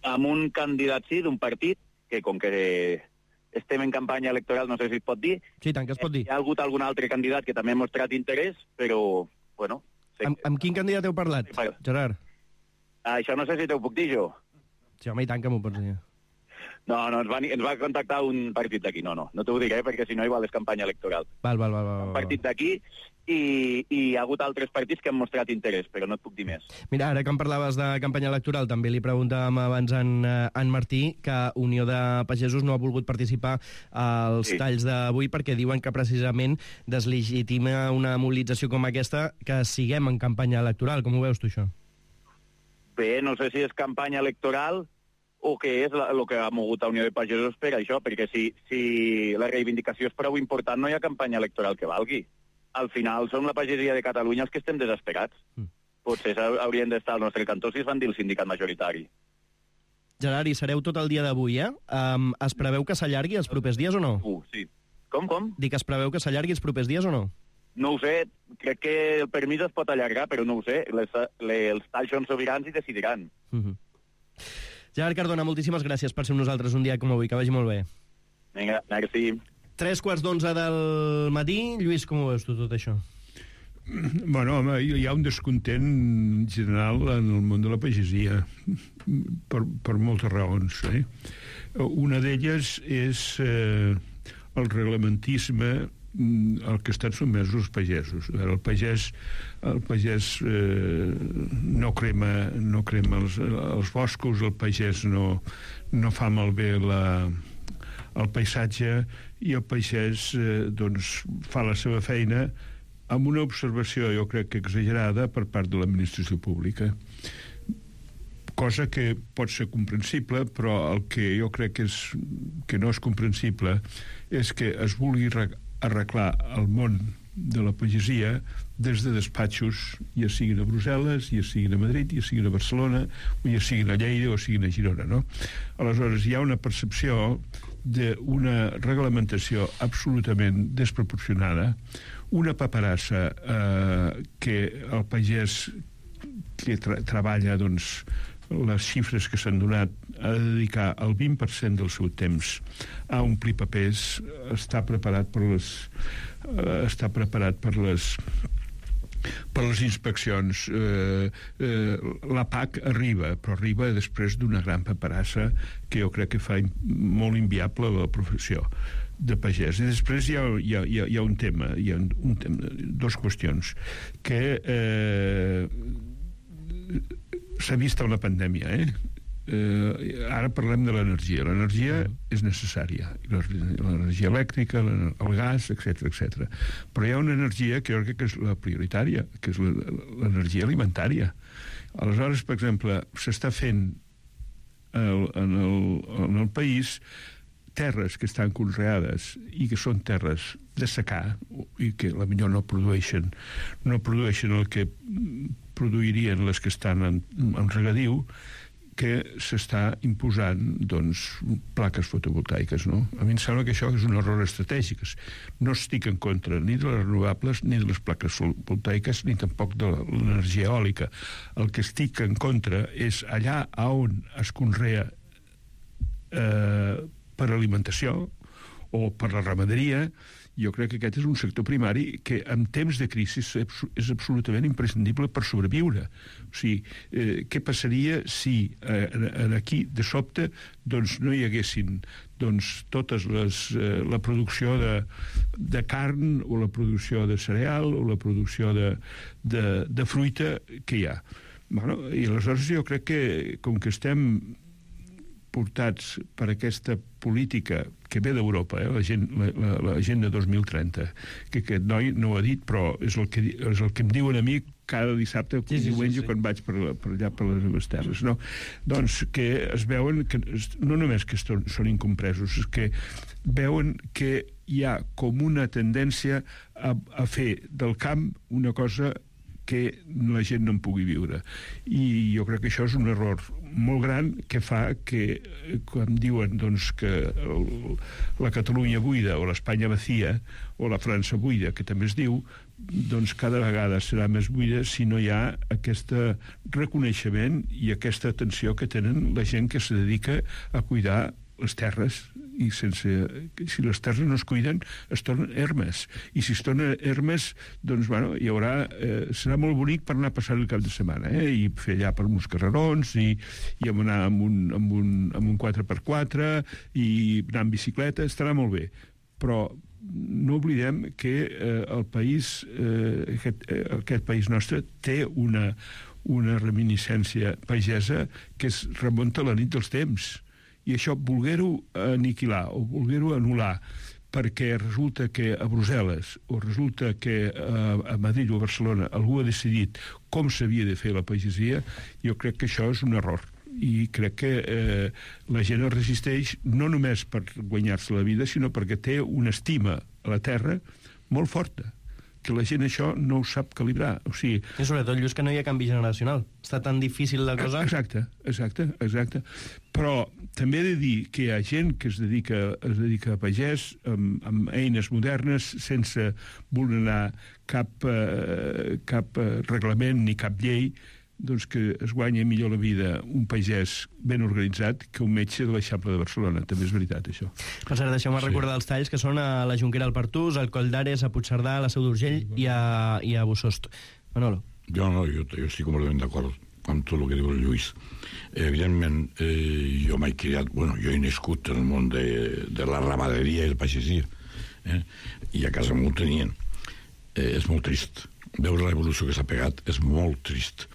Amb un candidat, sí, d'un partit, que com que estem en campanya electoral, no sé si es pot dir.
Sí, tant que es pot dir.
Hi ha hagut algun altre candidat que també ha mostrat interès, però, bueno...
Amb quin candidat heu parlat, Gerard?
Això no sé si t'ho puc dir jo.
Sí, home, i tant que m'ho pots dir.
No, ens va contactar un partit d'aquí. No t'ho diré, perquè si no igual és campanya electoral.
Val.
Un partit d'aquí, i hi ha hagut altres partits que han mostrat interès, però no et puc dir més.
Mira, ara que em parlaves de campanya electoral, també li preguntàvem abans a en Martí que Unió de Pagesos no ha volgut participar als talls d'avui perquè diuen que precisament deslegitima una mobilització com aquesta que siguem en campanya electoral. Com ho veus tu, això?
Bé, no sé si és campanya electoral o què és el que ha mogut a Unió de Pagesos per això, perquè si la reivindicació és prou important no hi ha campanya electoral que valgui. Al final som la pagesia de Catalunya els que estem desesperats. Potser haurien d'estar al nostre cantó si es van dir el sindicat majoritari.
Gerard, hi sereu tot el dia d'avui, eh? Es preveu que s'allargui els propers dies o no?
Sí. Com?
Dic que es preveu que s'allargui els propers dies o no?
No ho sé, crec que el permís es pot allargar, però no ho sé. Els talls són sobirans i decidiran.
Gerard Cardona, moltíssimes gràcies per ser amb nosaltres un dia com avui, que vagi molt bé.
Vinga, merci.
3:15 del matí. Lluís, com ho veus tu, tot això?
Bueno, home, hi ha un descontent general en el món de la pagesia, per moltes raons. Una d'elles és el reglamentisme al que estan sotmesos els pagesos. El pagès no crema els boscos, el pagès no fa malbé el paisatge, i el pagès doncs, fa la seva feina amb una observació, jo crec que exagerada, per part de l'administració pública. Cosa que pot ser comprensible, però el que jo crec que no és comprensible és que es vulgui arreglar el món de la pagesia des de despatxos, ja siguin a Brussel·les, ja siguin a Madrid, ja siguin a Barcelona, o ja siguin a Lleida o siguin a Girona, no? Aleshores, hi ha una percepció d'una reglamentació absolutament desproporcionada, una paperassa que el pagès que treballa, doncs, les xifres que s'han donat a dedicar el 20% del seu temps a omplir papers, està preparat per les inspeccions. La PAC arriba, però arriba després d'una gran paperassa que jo crec que fa molt inviable la professió de pagès. I després hi ha un tema, dues qüestions, que s'ha vist amb la pandèmia, ara parlem de l'energia. L'energia és necessària, l'energia elèctrica, el gas, etc. Però hi ha una energia que jo crec que és la prioritària, que és l'energia alimentària. Aleshores, per exemple, s'està fent en el país terres que estan conreades i que són terres de secà i que potser no produeixen el que produirien les que estan en regadiu, que s'està imposant, doncs, plaques fotovoltaiques, no? A mi em sembla que això és un error estratègic. No estic en contra ni de les renovables, ni de les plaques fotovoltaiques, ni tampoc de l'energia eòlica. El que estic en contra és allà on es conrea per alimentació o per la ramaderia. Jo crec que aquest és un sector primari que en temps de crisi és absolutament imprescindible per sobreviure. O sigui, què passaria si aquí, de sobte, doncs no hi haguessin totes la producció de carn o la producció de cereal o la producció de fruita que hi ha. I aleshores jo crec que, com que estem portats per aquesta política que ve d'Europa, l'Agenda 2030, que aquest noi no ho ha dit, però és el que em diuen a mi cada dissabte, diumenge, quan vaig per allà per les meves terres, no? Doncs que es veuen que no només que són incompresos, és que veuen que hi ha com una tendència a fer del camp una cosa que la gent no en pugui viure. I jo crec que això és un error molt gran que fa que, quan diuen doncs, que la Catalunya buida o l'Espanya vacía o la França buida, que també es diu, doncs cada vegada serà més buida si no hi ha aquest reconeixement i aquesta atenció que tenen la gent que se dedica a cuidar les terres, i si les terres no es cuiden es tornen ermes, i si es tornen ermes doncs bueno, serà molt bonic per anar a passar el cap de setmana, i fer allà per uns carrerons i anar amb un 4x4 i anar amb bicicleta, estarà molt bé, però no oblidem que el país, aquest país nostre, té una reminiscència pagesa que es remunta a la nit dels temps. I això, voler-ho aniquilar o voler-ho anul·lar perquè resulta que a Brussel·les o resulta que a Madrid o a Barcelona algú ha decidit com s'havia de fer la pagesia, jo crec que això és un error. I crec que la gent es resisteix no només per guanyar-se la vida, sinó perquè té una estima a la terra molt forta, que la gent això no ho sap calibrar. O sigui...
I sobretot, Lluís, que no hi ha canvi generacional. Està tan difícil la cosa...
Exacte. Però també he de dir que hi ha gent que es dedica a pagès amb eines modernes, sense vulnerar cap reglament ni cap llei, doncs que es guanya millor la vida un pagès ben organitzat que un metge de l'Eixample de Barcelona. També és veritat, això.
Per cert, deixeu-me recordar els talls que són a la Jonquera al Pertús, al Coll d'Ares, a Puigcerdà, a la Seu d'Urgell i a Bussost. Manolo.
Jo estic completament d'acord amb tot el que diu el Lluís. Evidentment, jo m'he criat, jo he nascut en el món de la ramaderia i la pagesia, i a casa m'ho tenien. És molt trist. Veure l'evolució que s'ha pegat és molt trist.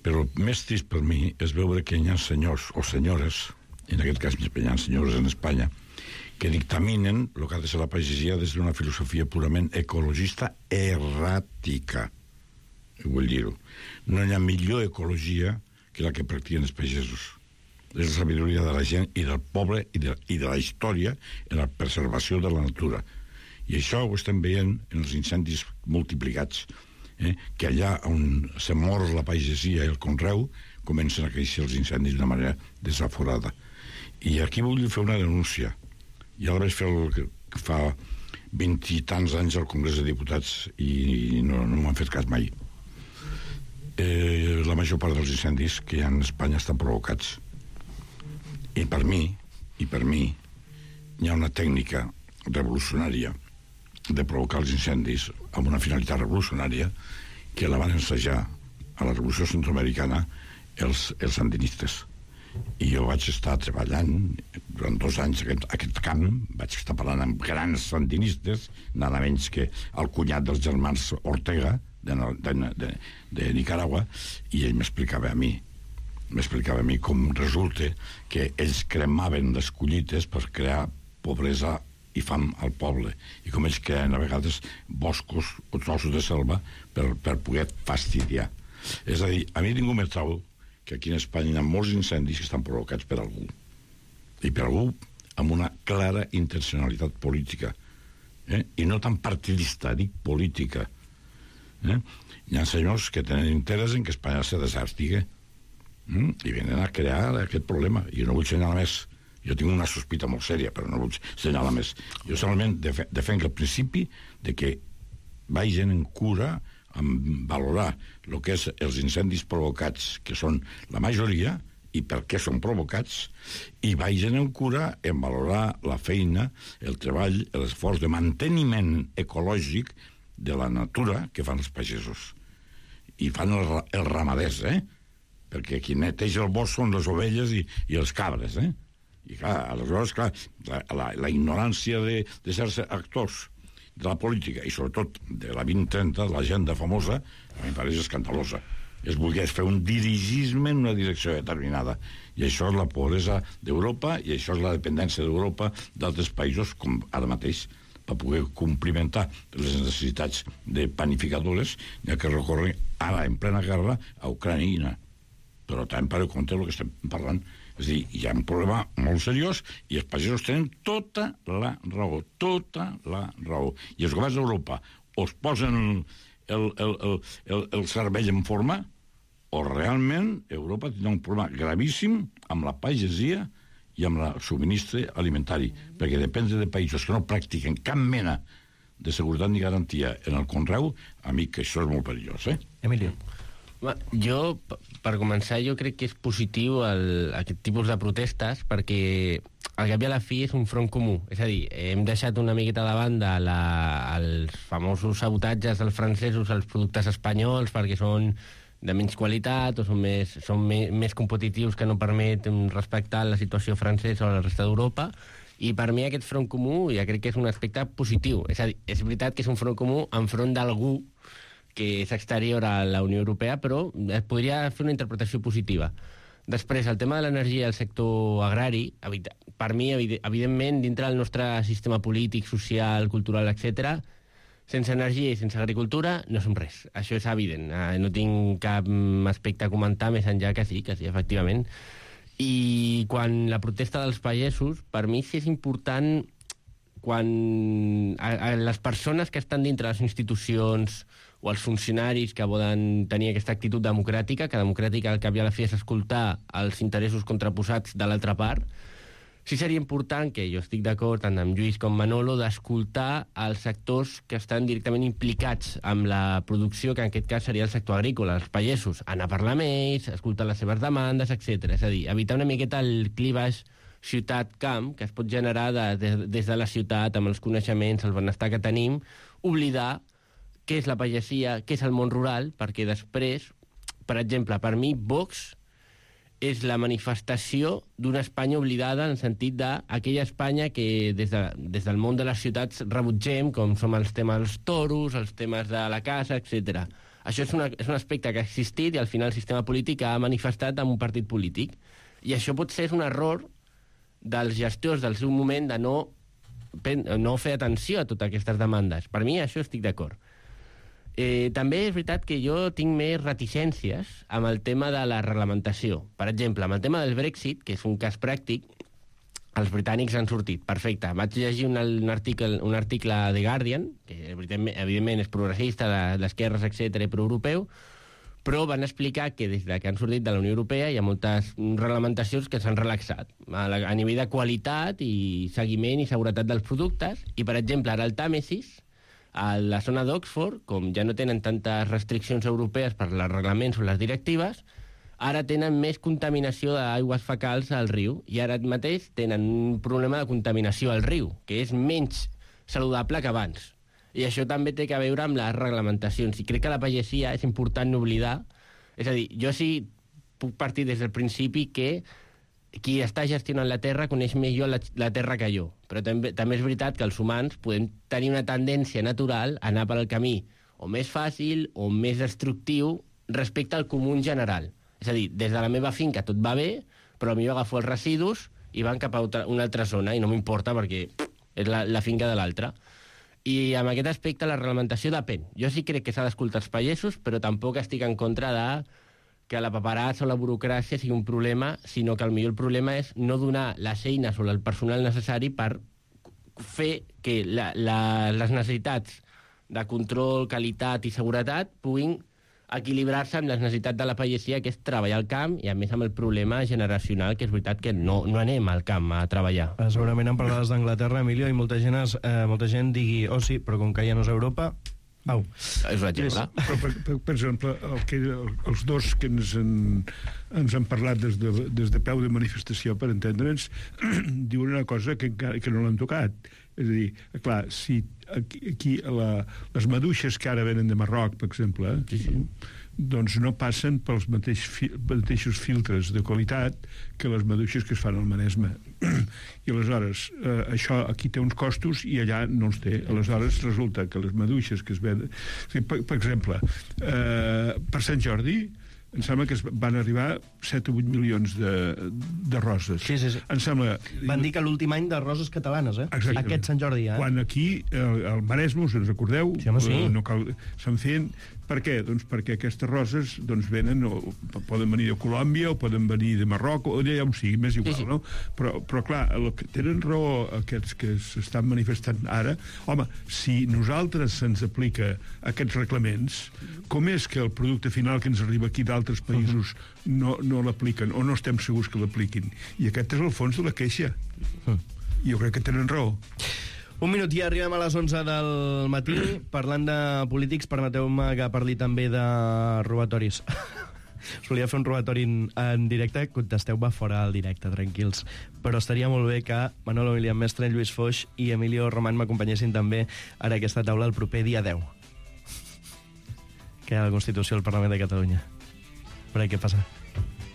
Però el més trist per mi és veure que hi ha senyors o senyores, en aquest cas hi ha senyores en Espanya, que dictaminen el que ha de ser la pagesia des d'una filosofia purament ecologista erràtica. Vull dir-ho. No hi ha millor ecologia que la que practiquen els pagesos. És la sabidoria de la gent i del poble i de la història en la preservació de la natura. I això ho estem veient en els incendis multiplicats, que allà on se mor la pagesia i el conreu comencen a créixer els incendis d'una manera desaforada. I aquí vull fer una denúncia. Ja la vaig fer fa 20 i tants anys al Congrés de Diputats i no m'han fet cas mai. La major part dels incendis que hi ha en Espanya estan provocats. I per mi hi ha una tècnica revolucionària de provocar els incendis amb una finalitat revolucionària que la van ensejar a la Revolució Centroamericana els sandinistes. I jo vaig estar treballant durant 2 anys aquest camp, vaig estar parlant amb grans sandinistes, nada menys que el cunyat dels germans Ortega de Nicaragua, i ell m'explicava a mi com resulta que ells cremaven les collites per crear pobresa i fam al poble, i com ells creen a vegades boscos o trossos de selva per poder fastidiar. És a dir, a mi ningú me trau que aquí en Espanya hi ha molts incendis que estan provocats per algú, i per algú amb una clara intencionalitat política, i no tan partidista, dic política. Hi ha senyors que tenen interès en que Espanya se desèrtigue i venen a crear aquest problema, i no vull assenyalar més. Jo tinc una sospita molt sèria, però no vull assenyalar més. Jo solament defenc el principi de que vagin en cura en valorar el que és els incendis provocats, que són la majoria, i per què són provocats, i vagin en cura en valorar la feina, el treball, l'esforç de manteniment ecològic de la natura que fan els pagesos. I fan els ramaders, perquè qui neteja el bosc són les ovelles i els cabres, I clar, aleshores, la ignorància de certs actors de la política, i sobretot de la 2030, de l'agenda famosa, a mi em pareix escandalosa. Es voler fer un dirigisme en una direcció determinada. I això és la pobresa d'Europa, i això és la dependència d'Europa d'altres països, com ara mateix, per poder complimentar les necessitats de panificadores, n'hi ha que recórrer ara, en plena guerra, a Ucraïna. Però també per compte del que estem parlant. És a dir, hi ha un problema molt seriós i els pagesos tenen tota la raó. I els governs d'Europa o es posen el cervell en forma o realment Europa tindrà un problema gravíssim amb la pagesia i amb el subministre alimentari, perquè depèn de països que no practiquen cap mena de seguretat ni garantia en el conreu, a mi que això és molt perillós,
Emilio.
Jo, per començar, jo crec que és positiu aquest tipus de protestes perquè al cap i a la fi és un front comú. És a dir, hem deixat una miqueta de banda els famosos sabotatges dels francesos als productes espanyols perquè són de menys qualitat o són més competitius, que no permet respectar la situació francesa o la resta d'Europa, I per mi aquest front comú ja crec que és un aspecte positiu. És a dir, és veritat que és un front comú enfront d'algú que és exterior a la Unió Europea, però es podria fer una interpretació positiva. Després, el tema de l'energia i el sector agrari, per mi, evidentment, dintre del nostre sistema polític, social, cultural, etc., sense energia i sense agricultura no som res. Això és evident. No tinc cap aspecte a comentar més enllà que sí, efectivament. I quan la protesta dels pagesos, per mi sí és important quan les persones que estan dintre les institucions o els funcionaris que volen tenir aquesta actitud democràtica, que democràtica al cap i a la fi és escoltar els interessos contraposats de l'altra part, sí seria important, que jo estic d'acord tant amb Lluís com Manolo, d'escoltar els sectors que estan directament implicats amb la producció, que en aquest cas seria el sector agrícola, els pagesos, anar a parlar amb ells, escoltar les seves demandes, etc. És a dir, evitar una miqueta el clivaix ciutat-camp que es pot generar des de la ciutat, amb els coneixements, el benestar que tenim, oblidar què és la pagesia, què és el món rural, perquè després, per exemple, per mi, Vox és la manifestació d'una Espanya oblidada en el sentit d'aquella Espanya que des del món de les ciutats rebutgem, com som els temes dels toros, els temes de la casa, etc. Això és un aspecte que ha existit i al final el sistema polític ha manifestat amb un partit polític. I això pot ser un error dels gestors del seu moment de no fer atenció a totes aquestes demandes. Per mi això estic d'acord. També és veritat que jo tinc més reticències amb el tema de la reglamentació. Per exemple, amb el tema del Brexit, que és un cas pràctic, els britànics han sortit. Perfecte. Vaig llegir un article de The Guardian, que evidentment és progressista, d'esquerres, etc., i proeuropeu, però van explicar que des que han sortit de la Unió Europea hi ha moltes reglamentacions que s'han relaxat a nivell de qualitat i seguiment i seguretat dels productes. I, per exemple, ara el Tàmesis, a la zona d'Oxford, com ja no tenen tantes restriccions europees per els reglaments o les directives, ara tenen més contaminació d'aigües fecals al riu i ara mateix tenen un problema de contaminació al riu, que és menys saludable que abans. I això també té a veure amb les reglamentacions. I crec que la pagesia és important no oblidar. És a dir, jo sí puc partir des del principi que qui està gestionant la terra coneix millor la terra que jo. Però també és veritat que els humans podem tenir una tendència natural a anar per el camí o més fàcil o més destructiu respecte al comú en general. És a dir, des de la meva finca tot va bé, però potser agafo els residus i van cap a una altra zona i no m'importa perquè és la finca de l'altra. I amb aquest aspecte la reglamentació depèn. Jo sí crec que s'ha d'escoltar els pagesos, però tampoc estic en contra de que la paperassa o la burocràcia sigui un problema, sinó que potser el problema és no donar les eines o el personal necessari per fer que les necessitats de control, qualitat i seguretat puguin equilibrar-se amb les necessitats de la pagesia, que és treballar al camp, i a més amb el problema generacional, que és veritat que no anem al camp a treballar.
Segurament en parlades d'Anglaterra, Emilio, i molta gent digui, oh sí, però com que ja no és Europa... Au.
És un exemple.
Per exemple, els dos que ens han parlat des de peu de manifestació, per entendre'ns, diuen una cosa que no l'han tocat. És a dir, clar, si aquí les maduixes que ara venen de Marroc, per exemple, doncs no passen pels mateixos filtres de qualitat que les maduixes que es fan al Maresme. I aleshores, això aquí té uns costos i allà no els té. Aleshores, resulta que les maduixes que es venen... Per exemple, per Sant Jordi, em sembla que van arribar 7 o 8 milions de roses.
Sí.
Em sembla...
Van dir que l'últim any de roses catalanes,
Exactament.
Aquest Sant Jordi,
Quan aquí, al Maresme, us en recordeu?
Sí, home, sí.
No cal... Se'n feien... Per què? Doncs perquè aquestes roses venen, poden venir de Colòmbia o poden venir de Marroc o d'allà on sigui, més igual, no? Però clar, el que tenen raó aquests que s'estan manifestant ara, home, si nosaltres se'ns aplica aquests reglaments, com és que el producte final que ens arriba aquí d'altres països no l'apliquen o no estem segurs que l'apliquin? I aquest és el fons de la queixa. I jo crec que tenen raó.
Un minut i arribem a les 11 del matí. Parlant de polítics, permeteu-me que parli també de robatoris. Solia fer un robatori en directe, contesteu-me fora al directe, tranquils. Però estaria molt bé que Manolo Milian Mestre, Lluís Foix i Emilio Román m'acompanyessin també a aquesta taula el proper dia 10. Que hi ha la Constitució del Parlament de Catalunya. Per què passa?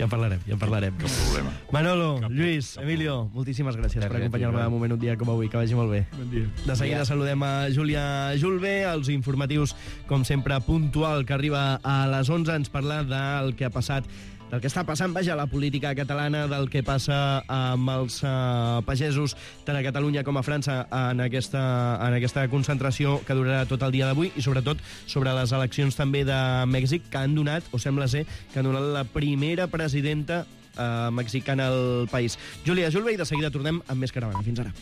Ja parlarem.
Cap problema.
Manolo, Lluís, Emilio, moltíssimes gràcies per acompanyar-me en un moment un dia com avui. Que vagi molt bé.
Bon dia.
De seguida saludem a Júlia Julve, els informatius, com sempre, puntual, que arriba a les 11, ens parla del que ha passat, del que està passant, vaja, la política catalana, del que passa amb els pagesos, tant a Catalunya com a França, en aquesta concentració que durarà tot el dia d'avui, i sobretot sobre les eleccions també de Mèxic, que han donat, o sembla ser, que han donat la primera presidenta mexicana al país. Júlia Julve, i de seguida tornem amb més Caravana. Fins ara.